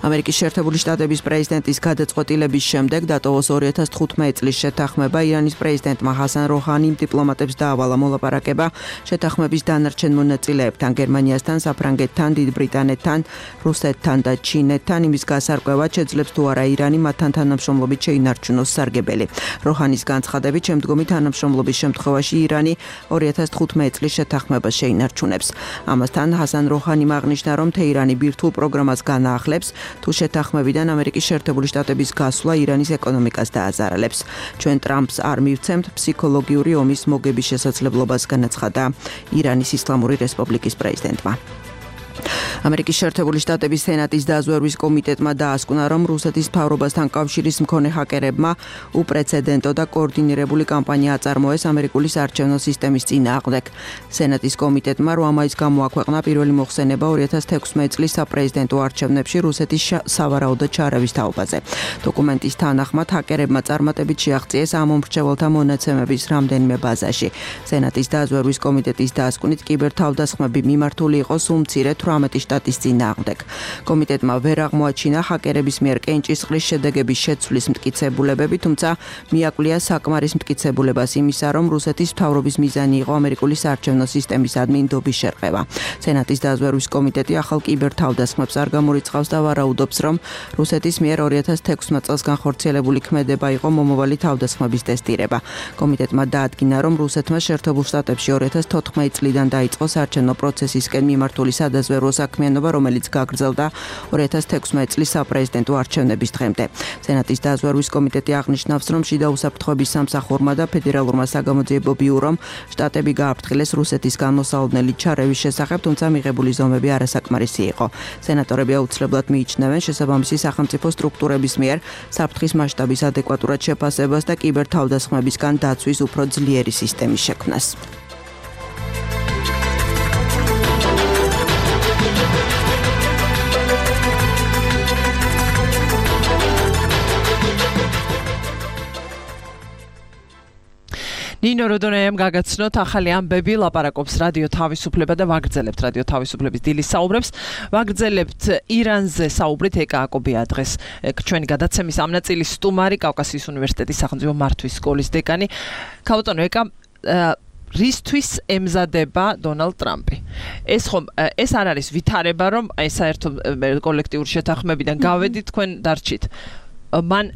ამერიკის შეერთებული შტატების პრეზიდენტის გადაწყვეტილების შემდეგ დატოვოს 2015 წლის შეთანხმება. ირანის პრეზიდენტმა ჰასან როჰანიმ დიპლომატებს დაავალა მოლაპარაკება შეთანხმების დანარჩენ მონაწილეებთან, გერმანიასთან, საფრანგეთთან, დიდ ბრიტანეთთან, რუსეთთან და ჩინეთთან, იმის გასარკვევად შეძლებს თუ არა ირანი მათთან თანამშრომლობით შეინარჩუნოს სარგებელი. როჰანის განცხადებით, შემდგომი თანამშრომლობის შემთხვევაში ირანი 2015 წლის შეთანხმებას შეინარჩუნებს. ამასთან ჰასან როჰანიმ აღნიშნა, რომ თეირანი ბირთვულ პროგრამას განაახლებს, თუ შეთანხმებიდან ამერიკის შეერთებული შტატების გასვლა ირანის ეკონომიკას დააზარალებს. ჩვენ ტრამპს არ მივცემთ ფსიქოლოგიური ომის მოგების შესაძლებლობას, განაცხადა ირანის ისლამური რესპუბლიკის პრეზიდენტმა. ამერიკის შეერთებული შტატების სენატის დაზვერვის კომიტეტმა დაასკვნა, რომ რუსეთის მთავრობასთან კავშირის მქონე ჰაკერებმა უპრეცედენტო და კოორდინირებული კამპანია აწარმოეს ამერიკული საარჩევნო სისტემის წინააღმდეგ. სენატის კომიტეტმა 8 მაისს გამოაქვეყნა პირველი მოხსენება 2016 წლის საპრეზიდენტო არჩევნებში რუსეთის სავარაუდო ჩარევის თაობაზე. დოკუმენტის თანახმად ჰაკერებმა წარმატებით შეაღწიეს ამ მომრჩეველთა მონაცემების რამდენიმე ბაზაში. სენატის დაზვერვის კომიტეტის დასკვნით კიბერთავდასხმები მიმართული იყო სულ მცირე 18 შტატის წინააღმდეგ. კომიტეტმა ვერ აღმოაჩინა ჰაკერების მიერ კენჭისყრის შედეგების შეცვლის მტკიცებულებები, თუმცა მიაკვლია საკმარის მტკიცებულებას იმისა, რომ რუსეთის მთავრობის მიზანი იყო ამერიკული საარჩევნო სისტემის ადმინდობის შერყევა. სენატის დაზვერვის კომიტეტი ახალ კიბერთავდასხმებს არ გამორიცხავს და ვარაუდობს, რომ რუსეთის მიერ 2016 წელს განხორციელებული ქმედება იყო მომავალი თავდასხმების ტესტირება. კომიტეტმა დაადგინა, რომ რუსეთმა შეერთებულ შტატებში 2014 წლიდან დაიწყო საარჩევნო პროცესისკენ მიმართული სადაზვერვო საქმიანობა, რომელიც გაგრძელდა 2016 წლის საპრეზიდენტო არჩევნების დღემდე. სენატის დაზვერვის კომიტეტი აღნიშნავს, რომ შიდა უსაფრთხოების სამსახურმა და ფედერალურმა საგამოძიებო ბიურომ შტატები გააფრთხილეს რუსეთის განმოსალოდნელი ჩარევის შესახებ, თუმცა მიღებული ზომები არასაკმარისი იყო. სენატორები აუცილებლად მიიჩნევენ შესაბამისი სახელმწიფო სტრუქტურების მიერ საფრთხის მასშტაბის ადეკვატურად შეფასებას და კიბერთავდასხმებისგან დაცვის უფრო ძლიერი სისტემის შექმნას. ნინო როდონეამ გაგაცნოთ ახალი ამბები, ლაპარაკობს რადიო თავისუფლება და ვაგრძელებთ რადიო თავისუფლების დილის საუბრებს. ვაგრძელებთ ირანზე საუბრით. ეკა აკობია დღეს ჩვენი გადაცემის ამ ნაწილის სტუმარი, კავკასიის უნივერსიტეტის სახელმწიფო მართვის სკოლის დეკანი. ქაუტონო ეკა, რისთვის ემზადება დონალდ ტრამპი? ეს არ არის ვითარება, რომ აი საერთო კოლექტიური შეთანხმებიდან გავედით, თქვენ დარჩით. მან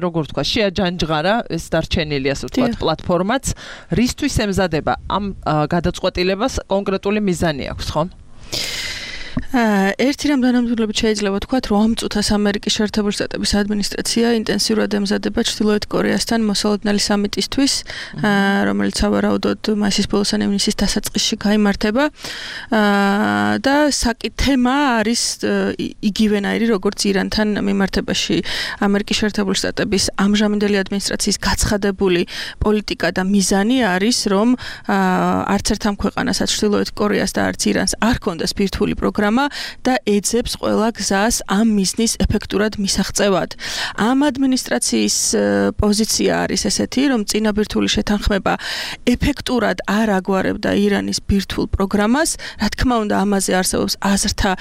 როგორ თქვა, შეაჯანჯღარა ეს დარჩენილი ასე ვთქვათ პლატფორმაც, რისთვის ემზადება ამ გადაწყვეტილებას კონკრეტული მიზანი აქვს, ხო? ერთი რამ დანამდვილებით შეიძლება ვთქვათ, რომ ამ წუთას ამერიკის შეერთებული შტატების ადმინისტრაცია ინტენსიურად ემზადება ჩრდილოეთ კორეასთან მოსალოდნელი სამიტისთვის, რომელიც სავარაუდოდ მასის ბოლოს ან ივნისის დასაწყისში გაიმართება. და თემა არის იგივენაირი, როგორც ირანთან მიმართებაში. ამერიკის შეერთებული შტატების ამჟამინდელი ადმინისტრაციის გაცხადებული პოლიტიკა და მიზანი არის, რომ არც ერთ ამ ქვეყანასაც ჩრდილოეთ კორეას და არც ირანს არ ჰქონდეს ბირთვული პროგრამა და ეძებს ყველა გზას ამ მიზნის ეფექტურად მისაღწევად. ამ ადმინისტრაციის პოზიცია არის ესეთი, რომ წინაბირთვული შეთანხმება ეფექტურად არ აგვარებდა ირანის ბირთვულ პროგრამას. რა თქმა უნდა, ამაზე არსებობს აზრთა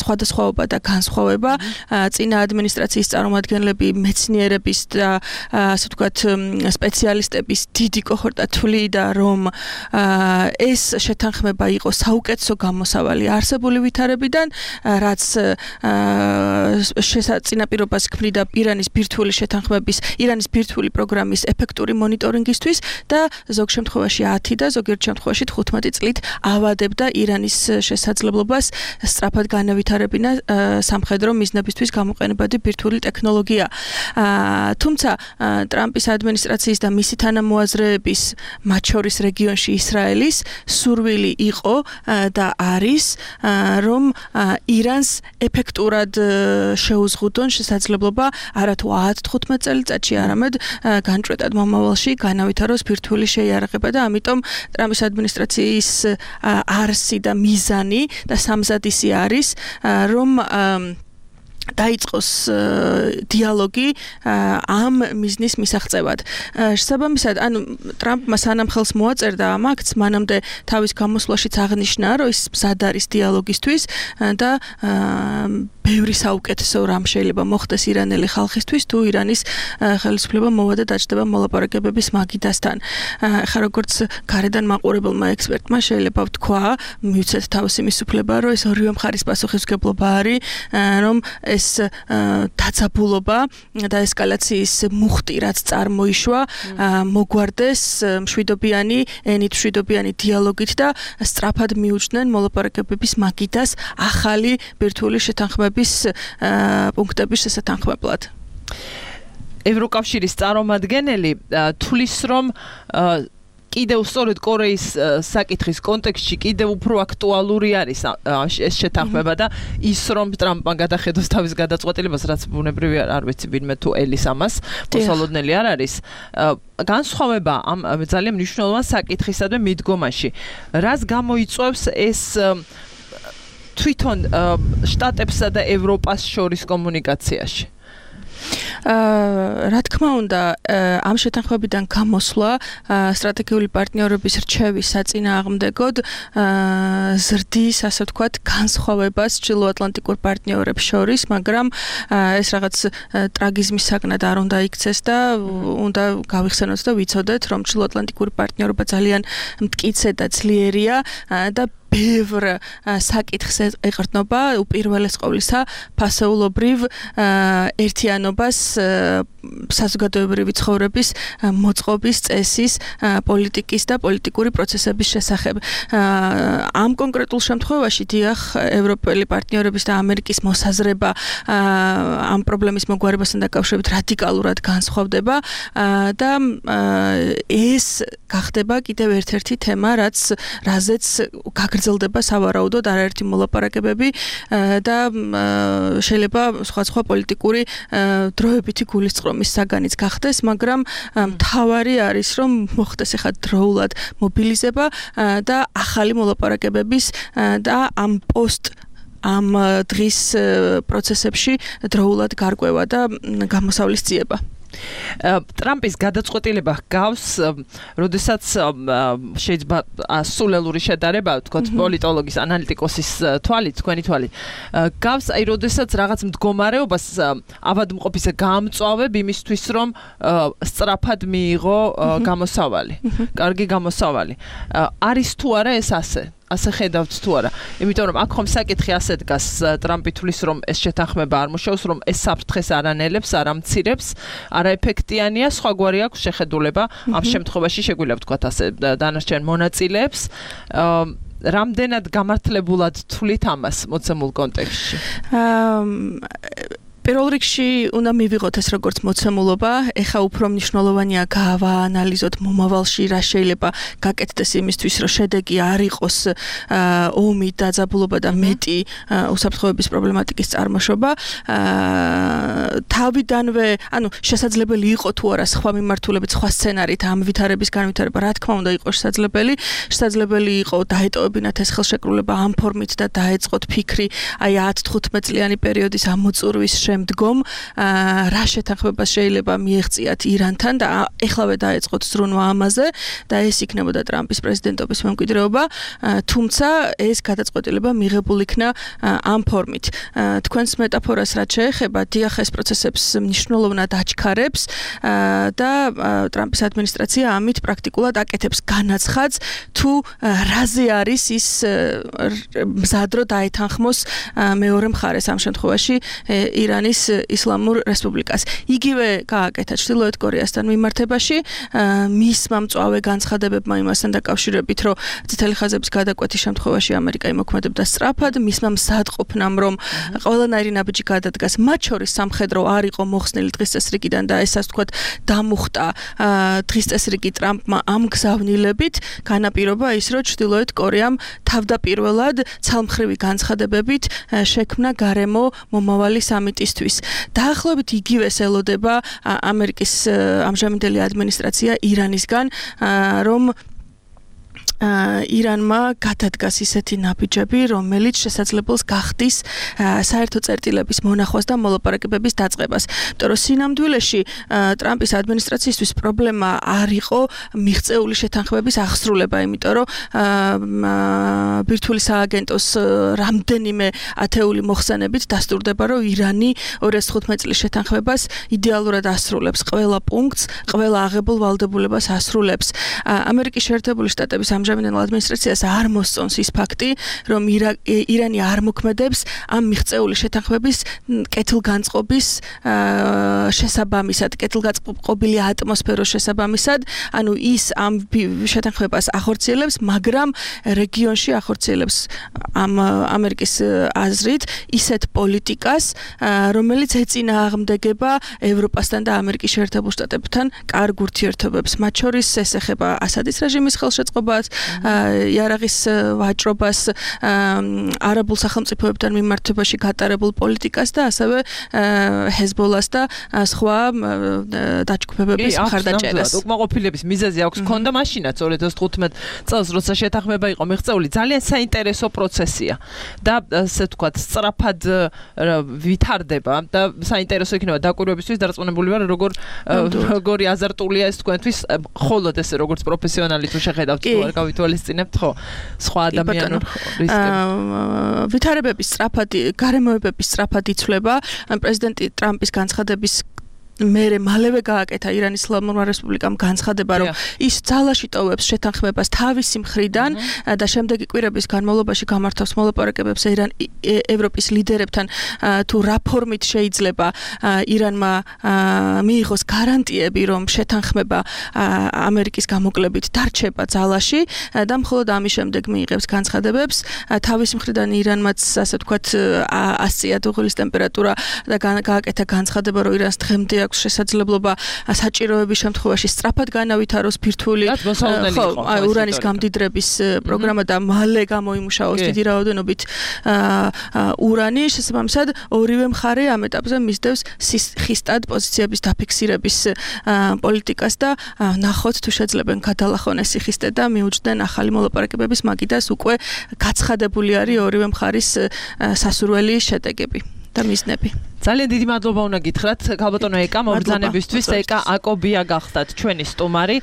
სხვადასხვაობა და განსხვავება. წინა ადმინისტრაციის წარმომადგენლები, მეცნიერების და ასე ვთქვათ, სპეციალისტების დიდი კოჰორტა თვლიდა, რომ ეს შეთანხმება იყო საუკეთესო გამოსავალი არსებული ვითარებიდან, რაც წინაპირობას ქმნიდა ირანის ბირთვული შეთანხმების, ირანის ბირთვული პროგრამის ეფექტური მონიტორინგისთვის და ზოგ შემთხვევაში 10 და ზოგიერთ შემთხვევაში 15 წლით ავადებდა ირანის შესაძლებლობას სწრაფად განავითარებინა სამხედრო მიზნებისთვის გამოყენებადი ბირთვული ტექნოლოგია. თუმცა ტრამპის ადმინისტრაციის და მისი თანამოაზრეების, მათ შორის რეგიონში ისრაელის სურვილი იყო და არის, რომ ირანს ეფექტურად შეუზღუდონ შესაძლებლობა არათუ 10-15 წელიწადში, არამედ განჭვრეტად მომავალში განავითაროს ბირთვული შეიარაღება და ამიტომ ტრამპის ადმინისტრაციის არსი და მიზანი და სამზადისი არის, რომ დაიწყოს დიალოგი ამ მიზნის მისაღწევად. შესაბამისად, ანუ ტრამპმა სანამ ხელს მოაწერდა ამ აქტს, მანამდე თავის გამოსვლაშიც აღნიშნა, რომ ის მზად არის დიალოგისთვის და ბევრი საუკეთესო რამ შეიძლება მოხდეს ირანელი ხალხისთვის, თუ ირანის ხელისუფლება მოვა და დაჯდება მოლაპარაკებების მაგიდასთან. ხა როგორც გარედან მაყურებელმა ექსპერტმა შეიძლება ვთქვა, მივცეთ თავისი მისუფლება, რომ ეს ორივე მხარის პასუხისმგებლობა არის, რომ ეს დაძაბულობა და ესკალაციის მუხტი, რაც წარმოიშვა, მოგვარდეს მშვიდობიანი, ენით მშვიდობიანი დიალოგით და სწრაფად მიუჩნდნენ მოლაპარაკებების მაგიდას ახალი ბირთვული შეთანხმების პუნქტების შესათანხმებლად. ევროკავშირის წარმომადგენელი თulis, რომ კიდევ სწორედ კორეის საკითხის კონტექსტში კიდევ უფრო აქტუალური არის ეს შეთანხმება და ის, რომ ტრამპმა გადახედოს თავის გადაწყვეტილებას, რაც ბუნებრივია, არ ვიცი ვინმე თუ ელის ამას, მოსალოდნელი არ არის. განსხვავება ამ ძალიან მნიშვნელოვან საკითხისადმი მიდგომაში. რას გამოიწვევს ეს თვითონ შტატებსა და ევროპას შორის კომუნიკაციაში? რა თქმა უნდა, ამ შეთანხმებიდან გამოსვლა სტრატეგიული პარტნიორობის რჩევის საწინააღმდეგოდ ზრდის, ასე ვთქვათ, განსხვავებას ჩრდილოატლანტიკურ პარტნიორებს შორის, მაგრამ ეს რაღაც ტრაგიზმის საგნად არ უნდა იქცეს და უნდა გავიხსენოთ და ვიცოდეთ, რომ ჩრდილოატლანტიკური პარტნიორობა ძალიან მტკიცე და ძლიერია და ბევრ საკითხს ეყრდნობა უპირველეს ყოვლისა ფასეულობრივ ერთიანობას საზოგადოებრივი ცხოვრების მოწყობის წესის პოლიტიკის და პოლიტიკური პროცესების შესახებ. ამ კონკრეტულ შემთხვევაში დიახ, ევროპელი პარტნიორების და ამერიკის მოსაზრება ამ პრობლემის მოგვარებასთან დაკავშირებით რადიკალურად განსხვავდება და ეს გახდება კიდევ ერთ-ერთი თემა, რაზეც გაგრძელდება სავარაუდოდ არაერთი მოლაპარაკებები და შეიძლება სხვა პოლიტიკური დროებითი გულისწყრომის საგანიც გახდეს, მაგრამ მთავარი არის, რომ მოხდეს ახლა დროულად მობილიზება და ახალი მოლაპარაკებების და ამ დღის პროცესებში დროულად გარკვევა და გამოსავლის ძიება. ტრამპის გადაწყვეტილება გავს, როდესაც შეიძლება სულელური შედარება, ვთქვათ, პოლიტოლოგის, ანალიტიკოსის თვალით, თქვენი თვალით, გავს, აი, როდესაც რაღაც მდგომარეობას ავადმყოფისა გამწვავებ იმისთვის, რომ სწრაფად მიიღო გამოსავალი, კარგი გამოსავალი. არის თუ არა ეს ასე ხედავთ თუ არა? იმიტომ რომ აქ ხომ საკითხი ასე დგას, ტრამპი თulis რომ ეს შეთანხმება არ მუშაობს, რომ ეს საფრთხეს არ ანელებს, არ ამცირებს, არაეფექტიანია, სხვაგვარი აქვს შეხედულება ამ შემთხვევაში შეგვიძლია ვთქვათ ასე დანარჩენ მონაწილეებს. რამდენად გამართლებულად თulit ამას მოცემულ კონტექსტში? პირველ რიგში უნდა მივიღოთ ეს როგორც მოცემულობა, ეხა უფრო მნიშვნელოვანია გავაანალიზოთ მომავალში რა შეიძლება გაკეთდეს იმისთვის, რომ შედეგი არ იყოს ომი, დაძაბულობა და მეტი უსაფრთხოების პრობლემატიკის წარმოშობა. თავიდანვე, შესაძლებელი იყო თუ არა სხვა მიმართულებით, სხვა სცენარით ამ ვითარების განვითარება, რა თქმა უნდა იყო შესაძლებელი იყო დაეტოვებინათ ეს ხელშეკრულება ამ ფორმით და დაეწყოთ ფიქრი აი 10-15 წლიანი პერიოდის ამოწურვის შემდგომ რა შეთანხმებას შეიძლება მიეღწიათ ირანთან და ეხლავე დაეწყოთ ზრუნვა ამაზე და ეს იქნებოდა ტრამპის პრეზიდენტობის მემკვიდრეობა, თუმცა ეს გადაწყვეტილება მიღებულ იქნა ამ ფორმით. თქვენს მეტაფორას რაც შეეხება, დიახ, ეს პროცესებს მნიშვნელოვნად აჩქარებს და ტრამპის ადმინისტრაცია ამით პრაქტიკულად აკეთებს განაცხადს, თუ რაზე არის ის მზად რო დაეთანხმოს მეორე მხარეს ამ შემთხვევაში ირანის ისლამურ რესპუბლიკას. იგივე გააკეთა ჩრდილოეთ კორეასთან მიმართებაში, მისმა მწვავე განცხადებებმა იმასთან დაკავშირებით, რომ წითელი ხაზების გადაკვეთის შემთხვევაში ამერიკა იმოქმედებდა სწრაფად, მისმა მზადყოფნამ, რომ ყველანაირი ნაბიჯი გადადგას, მათ შორის სამხედრო არ იყო მოხსნილი დღის წესრიგიდან და ეს ასე ვთქვათ დამუხტა დღის წესრიგი ტრამპმა ამ გზავნილებით, განაპირობა ის, რომ ჩრდილოეთ კორეამ თავდაპირველად ცალმხრივი განცხადებებით შექმნა გარემო მომავალი სამიტისთვის. დაახლოებით იგივეს ელოდება ამერიკის ამჟამინდელი ადმინისტრაცია ირანისგან, რომ ირანმა გადადგას ისეთი ნაბიჯები, რომელიც შესაძლებელს გახდის საერთო წერტილების მონახვას და მოლაპარაკებების დაწყებას. იმიტომ რომ სინამდვილეში ტრამპის ადმინისტრაციისთვის პრობლემა არ იყო მიღწეული შეთანხმების აღსრულება, იმიტომ რომ ბირთვული სააგენტოს რამდენიმე ათეული მოხსენებით დასტურდება, რომ ირანი 2015 წლის შეთანხმებას იდეალურად ასრულებს, ყველა პუნქტს, ყველა აღებულ ვალდებულებას ასრულებს. ამერიკის შეერთებული შტატების ამჟამინდელ ადმინისტრაციას არ მოსწონს ის ფაქტი, რომ ირანი არ მოქმედებს ამ მიღწეული შეთანხმების კეთილგანწყობის შესაბამისად, კეთილგანწყობილი ატმოსფეროს შესაბამისად, ანუ ის ამ შეთანხმებას ახორციელებს, მაგრამ რეგიონში ახორციელებს ამ ამერიკის აზრით ისეთ პოლიტიკას, რომელიც ეწინააღმდეგება ევროპასთან და ამერიკის შეერთებულ შტატებთან კარგ ურთიერთობებს. მათ შორის ეს ეხება ასადის რეჟიმის ხელშეწყობას, იარაღის ვაჭრობას, არაბულ სახელმწიფოებთან მიმართებაში გატარებულ პოლიტიკას და ასევე ჰეზბოლას და სხვა დაჯგუფებების მხარდაჭერას. უკმაყოფილების მიზეზი აქვს ქონდა მაშინაც 2015 წელს, როცა შეთანხმება იყო მიღწეული, ძალიან საინტერესო პროცესია და ასე ვთქვათ, სწრაფად ვითარდება და საინტერესო იქნება დაკვირვებისთვის დარწმუნებული ვარ, როგორი აზარტულია ეს თქვენთვის, ხოლოდ ესე როგორც პროფესიონალი თუ შეხედავთ თუ არ გავითვალისწინებთ, ხო, სხვა ადამიანურ რისკებს. ვითარებების სწრაფად, გარემოებების სწრაფად იცვლება პრეზიდენტი ტრამპის განცხადების მალევე გააკეთა ირანის ისლამურმა რესპუბლიკამ განცხადება, რომ ის ძალაში ტოვებს შეთანხმებას თავისი მხრიდან და შემდეგი კვირების განმავლობაში გამართავს მოლაპარაკებებს ევროპის ლიდერებთან თუ რა ფორმით შეიძლება ირანმა მიიღოს გარანტიები, რომ შეთანხმება ამერიკის გამოკლებით დარჩება ძალაში და მხოლოდ ამის შემდეგ მიიღებს განცხადებებს. თავისი მხრიდან ირანმაც, ასე ვთქვათ, 100 დუღილის ტემპერატურა და გააკეთა განცხადება, რომ ირანს დღემდე აქვს შესაძლებლობა საჭიროების შემთხვევაში სწრაფად განავითაროს ბირთვული ურანის გამდიდრების პროგრამა და მალე გამოიმუშაოს დიდი რაოდენობით ურანი. შესაბამისად, ორივე მხარე ამ ეტაპზე მისდევს ხისტად პოზიციების დაფიქსირების პოლიტიკას და ნახოთ თუ შეძლებენ გადალახონ ეს ხისტე და მიუჯდნენ ახალი მოლაპარაკებების მაგიდას უკვე გაცხადებული არის ორივე მხარის სასურველი შედეგები და მიზნები. ძალიან დიდი მადლობა უნდა გითხრათ ქალბატონო ეკა მობრძანებისთვის. ეკა აკობია გახდათ ჩვენი სტუმარი.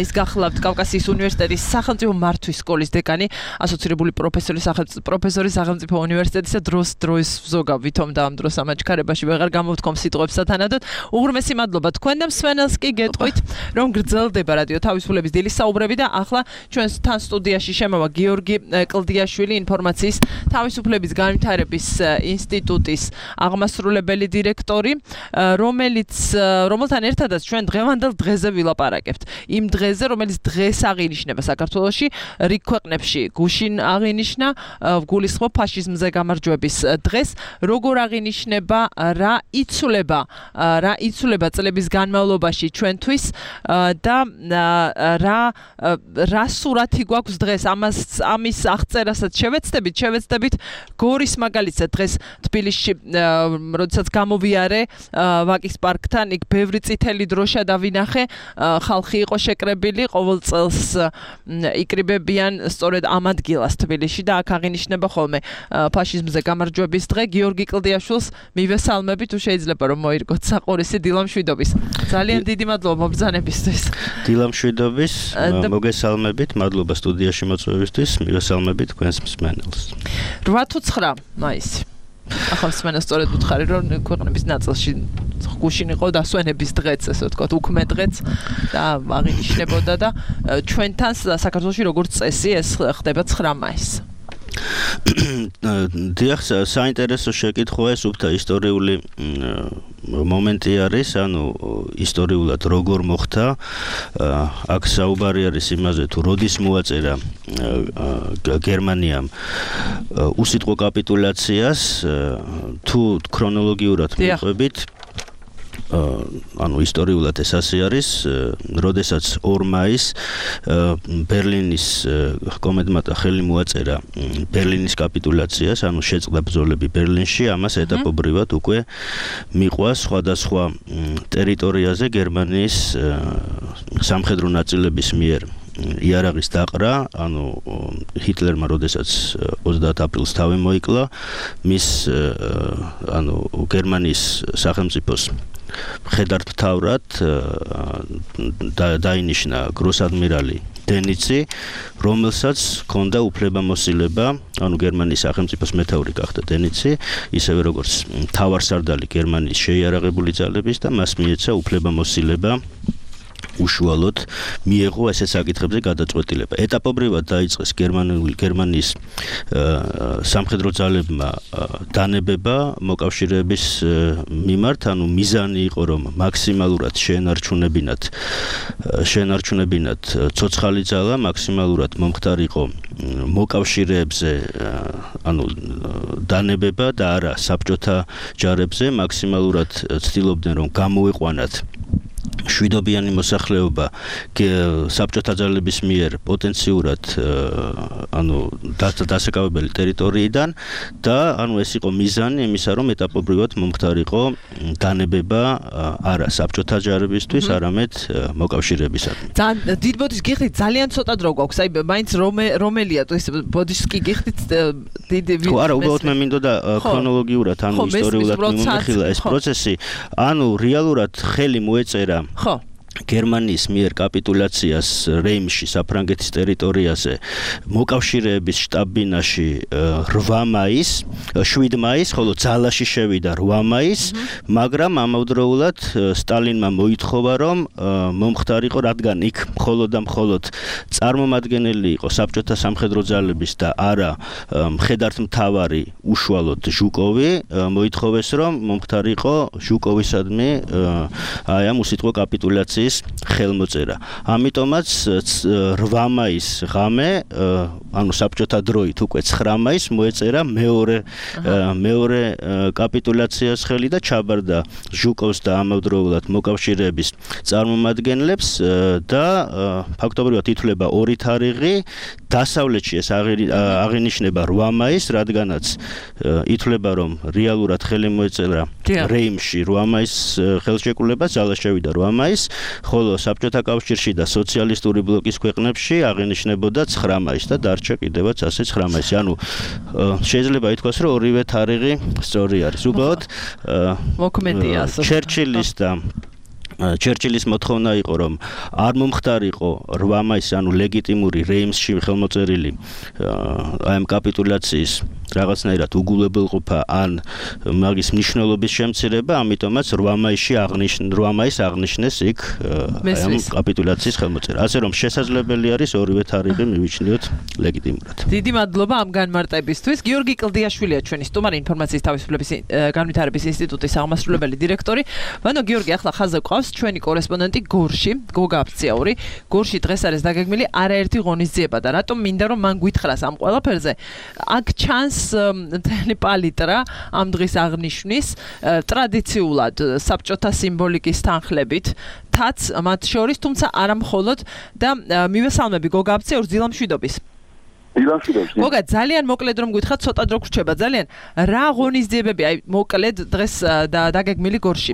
ის გახლავთ კავკასიის უნივერსიტეტის სახელმწიფო მართვის სკოლის დეკანი, ასოცირებული პროფესორი სახელმწიფო უნივერსიტეტისა დროის ზოგავ ვითომ და ამ დროს ამაჩქარებაში ვეღარ გამოვთქვამ სიტყვებს სათანადოდ. უღრმესი მადლობა თქვენ და მსმენელს კი გეტყვით, რომ გრძელდება რადიო თავისუფლების დილის საუბრები და ახლა ჩვენთან სტუდიაში შემოვა გიორგი კლდიაშვილი, ინფორმაციის თავისუფლების განვითარების ინსტიტუტის აღმასრულებელი დირექტორი, რომელთან ერთადაც ჩვენ დღევანდელ დღეზე ვილაპარაკებთ. იმ დღეზე, რომელიც დღეს აღინიშნება საქართველოში, რიგ ქვეყნებში გუშინ აღინიშნა, გულისხმობ ფაშიზმზე გამარჯვების დღეს, როგორ აღინიშნება, რა იცვლება წლების განმავლობაში ჩვენთვის და რა სურათი გვაქვს დღეს, ამის აღწერასაც შევეცდებით გორის მაგალითად დღეს თბილისში როდესაც გამოვიარე ვაკის პარკთან, იქ ბევრი წითელი დროშა დავინახე, ხალხი იყო შეკრებილი, ყოველ წელს იკრიბებიან სწორედ ამ ადგილას თბილისში და აქ აღინიშნება ხოლმე ფაშიზმზე გამარჯვების დღე. გიორგი კლდიაშვილს მივესალმები, თუ შეიძლება რომ მოირგოთ საყურისი დილამშვიდობის. ძალიან დიდი მადლობა მობრძანებისთვის. დილამშვიდობის, მოგესალმებით, მადლობა სტუდიაში მოწვევისთვის, მივესალმებით თქვენს მსმენელს. 8 თუ 9 მაისი. ახლა მსმენელს სწორედ ვუთხარი, რომ ქვეყნების ნაწილში გუშინ იყო დასვენების დღეც, ესე ვთქვათ, უქმე დღეც და აღინიშნებოდა და ჩვენთან საქართველოში როგორც წესი ეს ხდება 9 მაისს. დიახ, საინტერესო შეკითხვაა ეს უბრალოდ ისტორიული მომენტი არის, ანუ ისტორიულად როგორ მოხდა. აქ საუბარი არის იმაზე, თუ როდის მოაწერა გერმანიამ უსიტყვო კაპიტულაციას, თუ ქრონოლოგიურად მიყვებით. ანუ ისტორიულად ეს ასე არის, როდესაც 2 მაისს ბერლინის კომენდანტმა ხელი მოაწერა ბერლინის კაპიტულაციას, ანუ შეწყდა ბრძოლები ბერლინში, ამას ეტაპობრივად უკვე მიყვა სხვადასხვა ტერიტორიაზე გერმანიის სამხედრო ნაწილების მიერ იარაღის დაყრა, ანუ ჰიტლერმა როდესაც 30 აპრილს თავი მოიკლა, მის ანუ გერმანიის სახელმწიფოს მხედართმთავრად დაინიშნა გროსადმირალი დენიცი, რომელსაც ჰქონდა უფლებამოსილება, ანუ გერმანიის სახელმწიფოს მეთაური გახდა დენიცი, ისევე როგორც მთავარსარდალი გერმანიის შეიარაღებული ძალების და მას მიეცა უფლებამოსილება უშუალოდ მიეღო ესე საკითხებზე გადაწყვეტილება. ეტაპობრივად დაიწყეს გერმანიის სამხედრო ძალებმა დანებება მოკავშირეების მიმართ, ანუ მიზანი იყო, რომ მაქსიმალურად შეენარჩუნებინათ ცოცხალი ძალა, მაქსიმალურად მომხდარიყო მოკავშირეებზე, ანუ დანებება და არა საბჭოთა ჯარებზე, მაქსიმალურად ცდილობდნენ, რომ გამოეყვანათ შვიდობიანი მოსახლეობა საბჭოთა ძალების მიერ პოტენციურად დასაკავებელი ტერიტორიიდან და ეს იყო მიზანი იმისა, რომ ეტაპობრივად მომხდარიყო განებება არა საბჭოთა ჯარებისთვის, არამედ მოკავშირეებისადმი. დიდ ბოდიშს გიხდით ძალიან ცოტა დრო გვაქვს. აი მაინც რომელია ეს ბოდიშს კი გიხდით დიდი არა, უბრალოდ მე მინდოდა ქრონოლოგიურად, ისტორიულად მიმოიხილა ეს პროცესი, რეალურად ხელი მოეწერა გერმანიის მიერ კაპიტულაციას რეიმში, საფრანგეთის ტერიტორიაზე, მოკავშირეების შტაბ-ბინაში 8 მაისს, 7 მაისს, ხოლო ძალაში შევიდა 8 მაისს, მაგრამ ამავდროულად სტალინმა მოითხოვა, რომ მომხდარიყო, რადგან იქ მხოლოდ და მხოლოდ წარმომადგენელი იყო საბჭოთა სამხედრო ძალების და არა მხედართმთავარი უშუალოდ ჟუკოვი, მოითხოვეს, რომ მომხდარიყო ჟუკოვისადმი ამ უსიტყვო კაპიტულაციის ხელმოწერა. ამიტომაც 8 მაისს ღამე, საბჭოთა დროით უკვე 9 მაისს მოეწერა მეორე კაპიტულაციას ხელი და ჩაბარდა ჟუკოვს და ამავდროულად მოკავშირეების წარმომადგენლებს და ფაქტობრივად ითვლება 2 თარიღი, დასავლეთში ეს აღინიშნება 8 მაისს, რადგანაც ითვლება, რომ რეალურად ხელი მოეწერა რეიმში 8 მაისს ხელშეკრულება, ძალა შევიდა 8 მაისს, ხოლო საბჭოთა კავშირში და სოციალისტური ბლოკის ქვეყნებში აღინიშნებოდა 9 მაისს და დარჩა კიდევაც ასე 9 მაისი. შეიძლება ითქვას, რომ ორივე თარიღი სწორი არის. უბრალოდ მოქმედია ჩერჩილის მოთხოვნა იყო, რომ არ მომხდარიყო 8 მაისს, ლეგიტიმური რეიმსში ხელმოწერილი ამ კაპიტულაციის რაღაცნაირად უგულებელყოფა ან მაგის მნიშვნელობის შემცირება, ამიტომაც 8 მაისს აღნიშნეს იქ ამ კაპიტულაციის ხელმოწერა. ასე რომ შესაძლებელი არის ორივე თარიღი მივიჩნიოთ ლეგიტიმურად. დიდი მადლობა ამ განმარტებისთვის. გიორგი კლდიაშვილია ჩვენი სტუმარი, ინფორმაციის თავისუფლების განვითარების ინსტიტუტის აღმასრულებელი დირექტორი. ბანო გიორგი, ახლა ხაზზე გვყავს ჩვენი კორესპონდენტი გორში, გოგა აფციაური. გორში დღეს არის დაგეგმილი არაერთი ღონისძიება და რატომ მინდა რომ მან გითხრას ამ ყველაფერზე? აქ ჩანს მთელი პალიტრა ამ დღის აღნიშვნის, ტრადიციულად საბჭოთა სიმბოლიკის თანხლებით, მათ შორის, თუმცა არა მხოლოდ და მივესალმები გოგა აფციაურს დილამშვიდობის. გოგა, ძალიან მოკლედ რომ გითხრათ, ცოტა დრო გრჩება ძალიან. რა ღონისძიებები, აი მოკლედ დღეს დაგეგმილი გორში?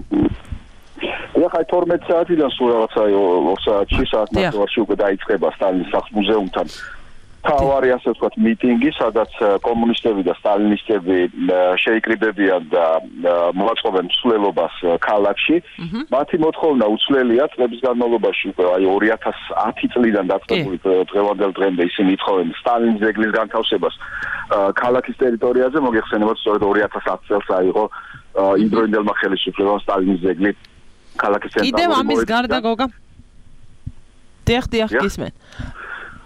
ახლა 12 საათიდან სულ რაღაცა 2 საათში საათნახევარში უკვე დაიწყება სტალინის სახლ-მუზეუმთან თავარი ასე ვთქვათ მიტინგი, სადაც კომუნისტები და სტალინისტები შეიკრიბებიან და მოაწყობენ მსვლელობას ქალაქში. მათი მოთხოვნა უცვლელია, წლების განმავლობაში უკვე 2010 წლიდან დაწყებული დღევანდელ დღემდე ისინი ითხოვენ სტალინის ძეგლის განთავსებას ქალაქის ტერიტორიაზე. მოგეხსენებათ, სწორედ 2010 წელს აიღო იმდროინდელმა ხელისუფლებამ სტალინის ძეგლი ქალაქის ცენტრალურ კიდევ ამის გარდა გოგა? დიახ, გისმენ.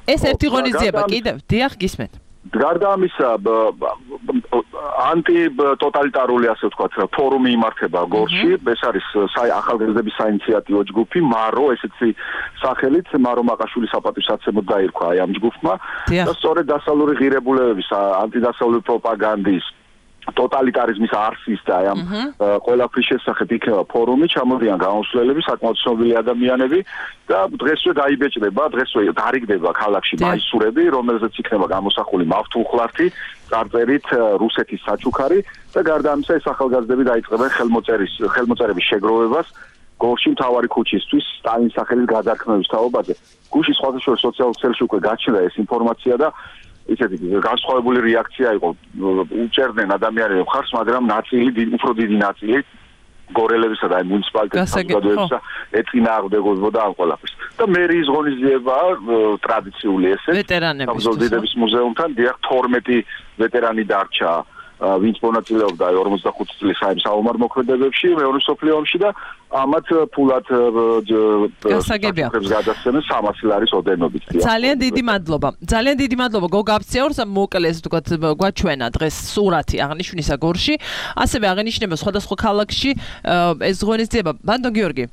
ეს ერთი ღონისძიება კიდევ, დიახ, გისმენთ. გარდა ამისა, ანტიტოტალიტარული ასე ვთქვათ, ფორუმი იმართება გორში. ეს არის ახალგაზრდების საინიციატივო ჯგუფი, მარო, ესეთი სახელით, მარო მაყაშვილის საპატივსაცემოდ დაირქვა ამ ჯგუფმა და სწორედ დასავლური ღირებულებების, ანტიდასავლური პროპაგანდის ტოტალიტარიზმის არსის და ამ ყველაფრის შესახებ იქნება ფორუმი, ჩამოდიან გამოსვლელები, საკმაოდ ცნობილი ადამიანები და დღესვე დაიბეჭდება, დღესვე დარიგდება ქალაქში მაისურები, რომელზეც იქნება გამოსახული მავთულხლართი, წარწერით რუსეთის საჩუქარი და გარდა ამისა ეს ახალგაზრდები დაიწყებენ ხელმოწერების შეგროვებას გორში მთავარი ქუჩისთვის სტალინის სახელის გადარქმევის თაობაზე. გუშინ სხვადასხვა სოციალურ ქსელში უკვე გაჩნდა ეს ინფორმაცია და ისეთი განსხვავებული რეაქცია იყო. უჭერდნენ ადამიანებს მხარს, მაგრამ უფრო დიდი ნაწილი გორელებისა და მუნიციპალიტეტის საზოგადოებისა ეწინააღმდეგებოდა ამ ყველაფერს. და მერიის ღონისძიება ტრადიციული ესე საბრძოლველების მუზეუმთან, დიახ 12 ვეტერანი დარჩა, ვინც მონაწილეობდა 45 წლის საომარ მოქმედებებში მეორე მსოფლიო ომში და ამათ ფულად გადასცემენ 300 ლარის ოდენობით. ძალიან დიდი მადლობა. ძალიან დიდი მადლობა გოგა აფციაურს, მოკლედ ვთქვათ, გვაჩვენა დღეს სურათი აღნიშვნისა გორში. ასევე აღინიშნება სხვადასხვა ქალაქში ეს ღონისძიება. ბანდო გიორგი,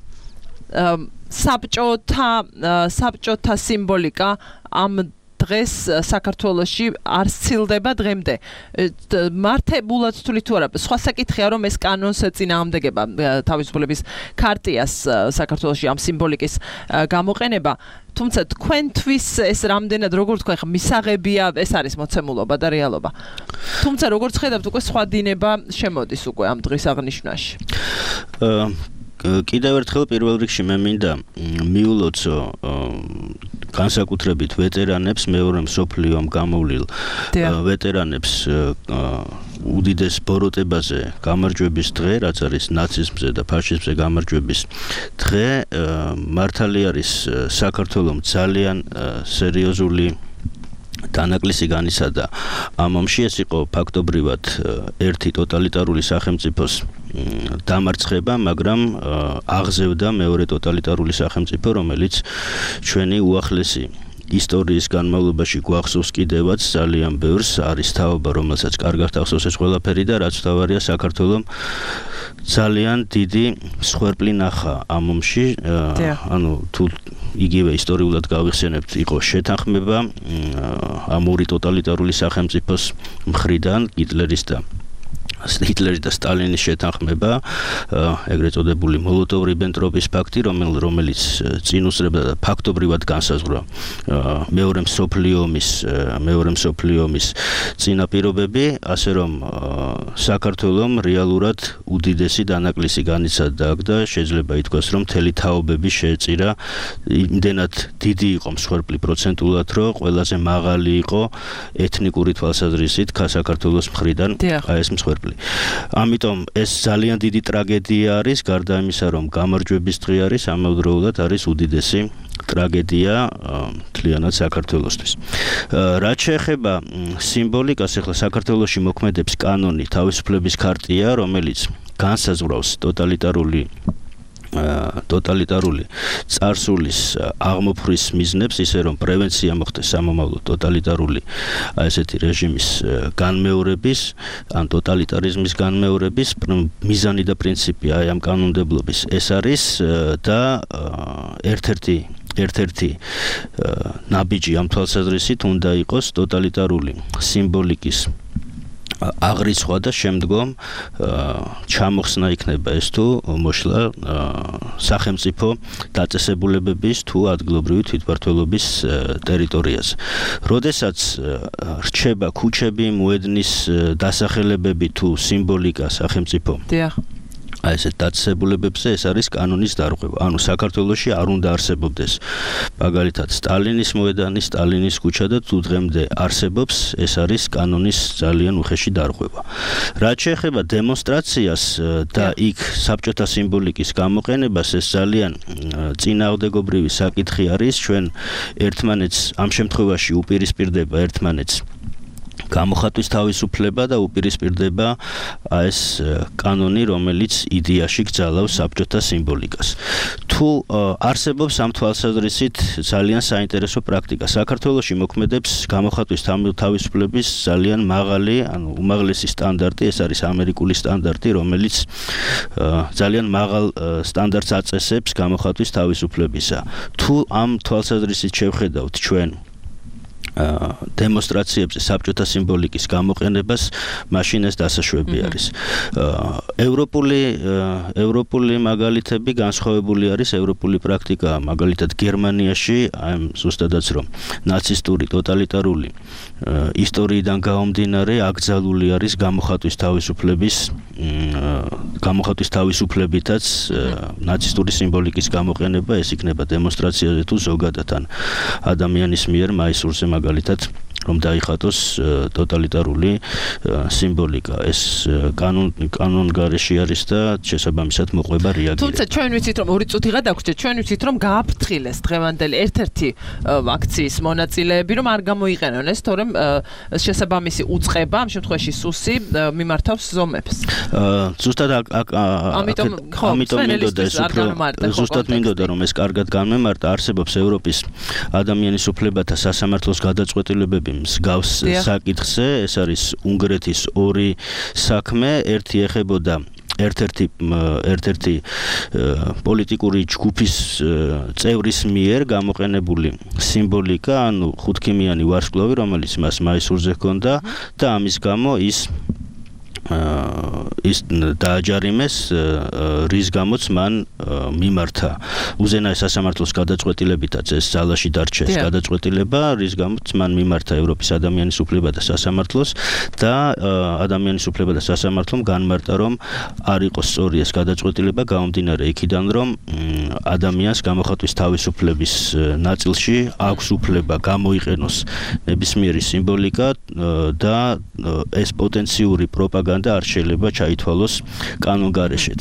საბჭოთა სიმბოლიკა ამ დღეს საქართველოში არ სცილდება დღემდე. მართებულად თვლით თუ არა, სხვა საკითხია რომ ეს კანონს წინააღმდეგება თავისუფლების ქარტიას საქართველოში ამ სიმბოლიკის გამოყენება. თუმცა თქვენთვის ეს რამდენად როგორ თქვა ხა მისაღებია ეს არის მოცემულობა და რეალობა. თუმცა როგორც ხედავთ უკვე სხვა დინება შემოდის უკვე ამ დღის აღნიშვნაში. კიდევ ერთხელ პირველ რიგში მე მინდა მიულოცო განსაკუთრებით ვეტერანებს მეორე მსოფლიო ომში გამოვლილ ვეტერანებს უდიდეს ბოროტებაზე გამარჯვების დღე, რაც არის ნაციზმზე და ფაშიზმზე გამარჯვების დღე, მართალი არის საქართველოს ძალიან სერიოზული დანაკლისი განიცადა ამ ომში. ეს იყო ფაქტობრივად ერთი ტოტალიტარული სახელმწიფოს დამარცხება, მაგრამ აღზევდა მეორე ტოტალიტარული სახელმწიფო, რომელიც ჩვენი უახლესი ისტორიის განმავლობაში გვახსოვს კიდევაც ძალიან ბევრს, არის თაობა, რომელსაც კარგად ახსოვს ეს ყველაფერი და რაც თავარია საქართველოს ძალიან დიდი მსხვერპლი ნახა ამ ომში. ანუ თუ იგივე ისტორიულად გავიხსენებთ, იყო შეთანხმება ამ ორი ტოტალიტარული სახელმწიფოს მხრიდან ჰიტლერის და სტალინის შეთანხმება, ეგრეთ წოდებული მოლოტოვ-რიბენტროპის პაქტი, რომელიც წინ უსწრებდა და ფაქტობრივად განსაზღვრა მეორე მსოფლიო ომის წინაპირობები, ასე რომ საქართველოს რეალურად უდიდესი დანაკლისი განიცადა და შეიძლება ითქვას, რომ მთელი თაობები შეეწირა, იმდენად დიდი იყო მსხვერპლი პროცენტულად, რომ ყველაზე მაღალი იყო ეთნიკური თვალსაზრისით საქართველოს მხრიდან ეს მსხვერპლი. ამიტომ ეს ძალიან დიდი ტრაგედია არის, გარდა იმისა, რომ გამარჯვების დღე არის, ამავდროულად არის უდიდესი ტრაგედია მთლიანად საქართველოსთვის. რაც შეეხება სიმბოლიკას, ახლა საქართველოში მოქმედებს კანონი თავისუფლების ქარტია, რომელიც განსაზღვრავს ტოტალიტარული წარსულის აღმოფხვის მიზნებს, ისე რომ პრევენცია მოხდეს სამომავლო ტოტალიტარული ესეთი რეჟიმის განმეორების, ან ტოტალიტარიზმის განმეორების მიზანი და პრინციპი აი ამ კანონმდებლობის ეს არის და ერთ-ერთი ნაბიჯი ამ თვალსაზრისით უნდა იყოს ტოტალიტარული სიმბოლიკის აღრიცხვა და შემდგომ ჩამოხსნა იქნება ეს თუ მოშლა სახელმწიფო დაწესებულებების თუ ადგილობრივი თვითმმართველობის ტერიტორიაზე. როდესაც რჩება ქუჩები, მოედნის დასახელებები თუ სიმბოლიკა სახელმწიფო ესეთ დაწესებულებებზე, ეს არის კანონის დარღვევა. ანუ საქართველოში არ უნდა არსებობდეს მაგალითად სტალინის მოედანი, სტალინის ქუჩა და თუ დღემდე არსებობს, ეს არის კანონის ძალიან უხეში დარღვევა. რაც შეეხება დემონსტრაციას და იქ საბჭოთა სიმბოლიკის გამოყენებას, ეს ძალიან წინააღმდეგობრივი საკითხი არის. ჩვენ ერთმანეთს ამ შემთხვევაში უპირისპირდება ერთმანეთს გამოხატვის თავისუფლება და უპირისპირდება ეს კანონი, რომელიც იდეაში გძალავს საბჭოთა სიმბოლიკას. თუ არსებობს ამ თვალსაზრისით ძალიან საინტერესო პრაქტიკა. საქართველოში მოქმედებს გამოხატვის თავისუფლების ძალიან მაღალი, ანუ უმაღლესი სტანდარტი, ეს არის ამერიკული სტანდარტი, რომელიც ძალიან მაღალ სტანდარტს აწესებს გამოხატვის თავისუფლებისა. თუ ამ თვალსაზრისით შევხედავთ ჩვენ დემონსტრაციებზე საბჭოთა სიმბოლიკის გამოყენებას, მაშინ ეს დასაშვები არის. ევროპული მაგალითები განსხვავებული არის, ევროპული პრაქტიკა, მაგალითად გერმანიაში, ზუსტადაც რომ ნაცისტური ტოტალიტარული ისტორიიდან გამომდინარე, აკრძალული არის გამოხატვის თავისუფლებითაც ნაცისტური სიმბოლიკის გამოყენება, ეს იქნება დემონსტრაციაზე თუ ზოგადად ან ადამიანის მიერ მაისურზე მაგალითად რომ დაიხატოს ტოტალიტარული სიმბოლიკა. ეს კანონგარეში არის და შესაბამისად მოყვება რეაგირება. თუმცა ჩვენ ვიცით რომ 2 წუთი გადაგვრჩეთ, ჩვენ ვიცით რომ გააფრთხილეს დღევანდელი ერთ-ერთი აქციის მონაწილეები, რომ არ გამოიყენონ ეს, თორემ შესაბამისი უწყება, ამ შემთხვევაში სუსი მიმართავს ზომებს. ზუსტად ამიტომ მინდოდა რომ ეს კარგად განმემართა. არსებობს ევროპის ადამიანის უფლებათა სასამართლოს გადაწყვეტილებები მსგავს საკითხზე, ეს არის უნგრეთის 2 საქმე, ერთი ეხებოდა ერთ-ერთი პოლიტიკური ჯგუფის წევრის მიერ გამოყენებული სიმბოლიკა, ანუ ხუთქიმიანი ვარსკვლავი, რომელიც მას მაისურზე ჰქონდა და ამის გამო ის დააჯარიმეს, რის გამოც მან მიმართა უზენაეს სასამართლოს გადაწყვეტილებითაც ეს ძალაში დარჩეს გადაწყვეტილება, რის გამოც მან მიმართა ევროპის ადამიანის უფლება და სასამართლოს და ადამიანის უფლება და სასამართლომ განმარტა, რომ არ იყოს სწორი ეს გადაწყვეტილება, გამომდინარე იქიდან, რომ ადამიანს გამოხატვის თავისუფლების ნაწილში აქვს უფლება გამოიყენოს ნებისმიერი სიმბოლიკა და ეს პოტენციური პროპაგანდა არ შეიძლება ჩაითვალოს კანონგარეშეთ.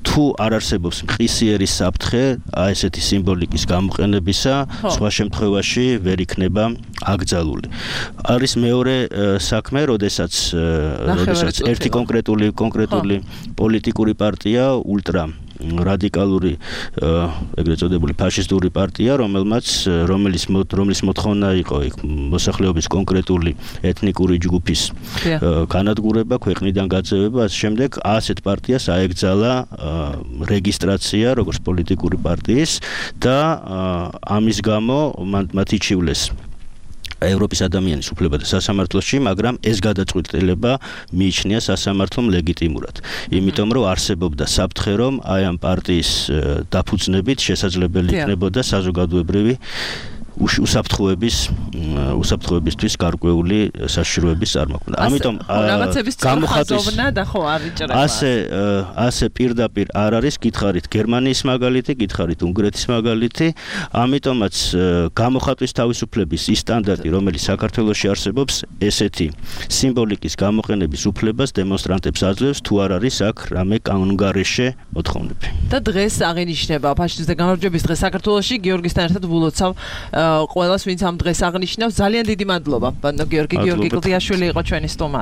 თუ არ არსებობს მყისიერი საფრთხე ესეთი სიმბოლიკის გამოყენებისა, სხვა შემთხვევაში ვერ იქნება აკრძალული. არის მეორე საქმე, როდესაც ერთი კონკრეტული პოლიტიკური პარტია ულტრა რადიკალური ეგრეთ წოდებული ფაშისტური პარტია, რომელიც მოთხოვნა იყო მოსახლეობის კონკრეტული ეთნიკური ჯგუფის განადგურება, ქვეყნიდან გაძევება, ასე შემდეგ, ასეთ პარტიას აეკრძალა რეგისტრაცია როგორც პოლიტიკური პარტიის და ამის გამო მათ იჩივლეს ევროპის ადამიანის უფლება და სასამართლოში, მაგრამ ეს გადაწყვეტილება მიიჩნია სასამართლომ ლეგიტიმურად. იმიტომ რომ არსებობდა საფრთხე, რომ აი ამ პარტიის დაფუძნებით შესაძლებელი იქნებოდა საზოგადოებრივი უსაფრთხოებისთვის გარკვეული საშიშროების წარმოქმნა. ამიტომ ასე პირდაპირ არ არის, გითხარით გერმანიის მაგალითი, გითხარით უნგრეთის მაგალითი, ამიტომაც გამოხატვის თავისუფლების ის სტანდარტი, რომელიც საქართველოში არსებობს, ესეთი სიმბოლიკის გამოყენების უფლებას დემონსტრანტებს აძლევს, თუ არ არის აქ რამე კანონგარეშე მოთხოვნები. და დღეს აღინიშნება ფაშისტთა გამარჯვების დღე საქართველოში, გიორგისთან ერთად ვულოცავ ყველას, ვინც ამ დღეს აღნიშნავს. ძალიან დიდი მადლობა, ბატონო გიორგი კლდიაშვილი იყო ჩვენი სტუმარი.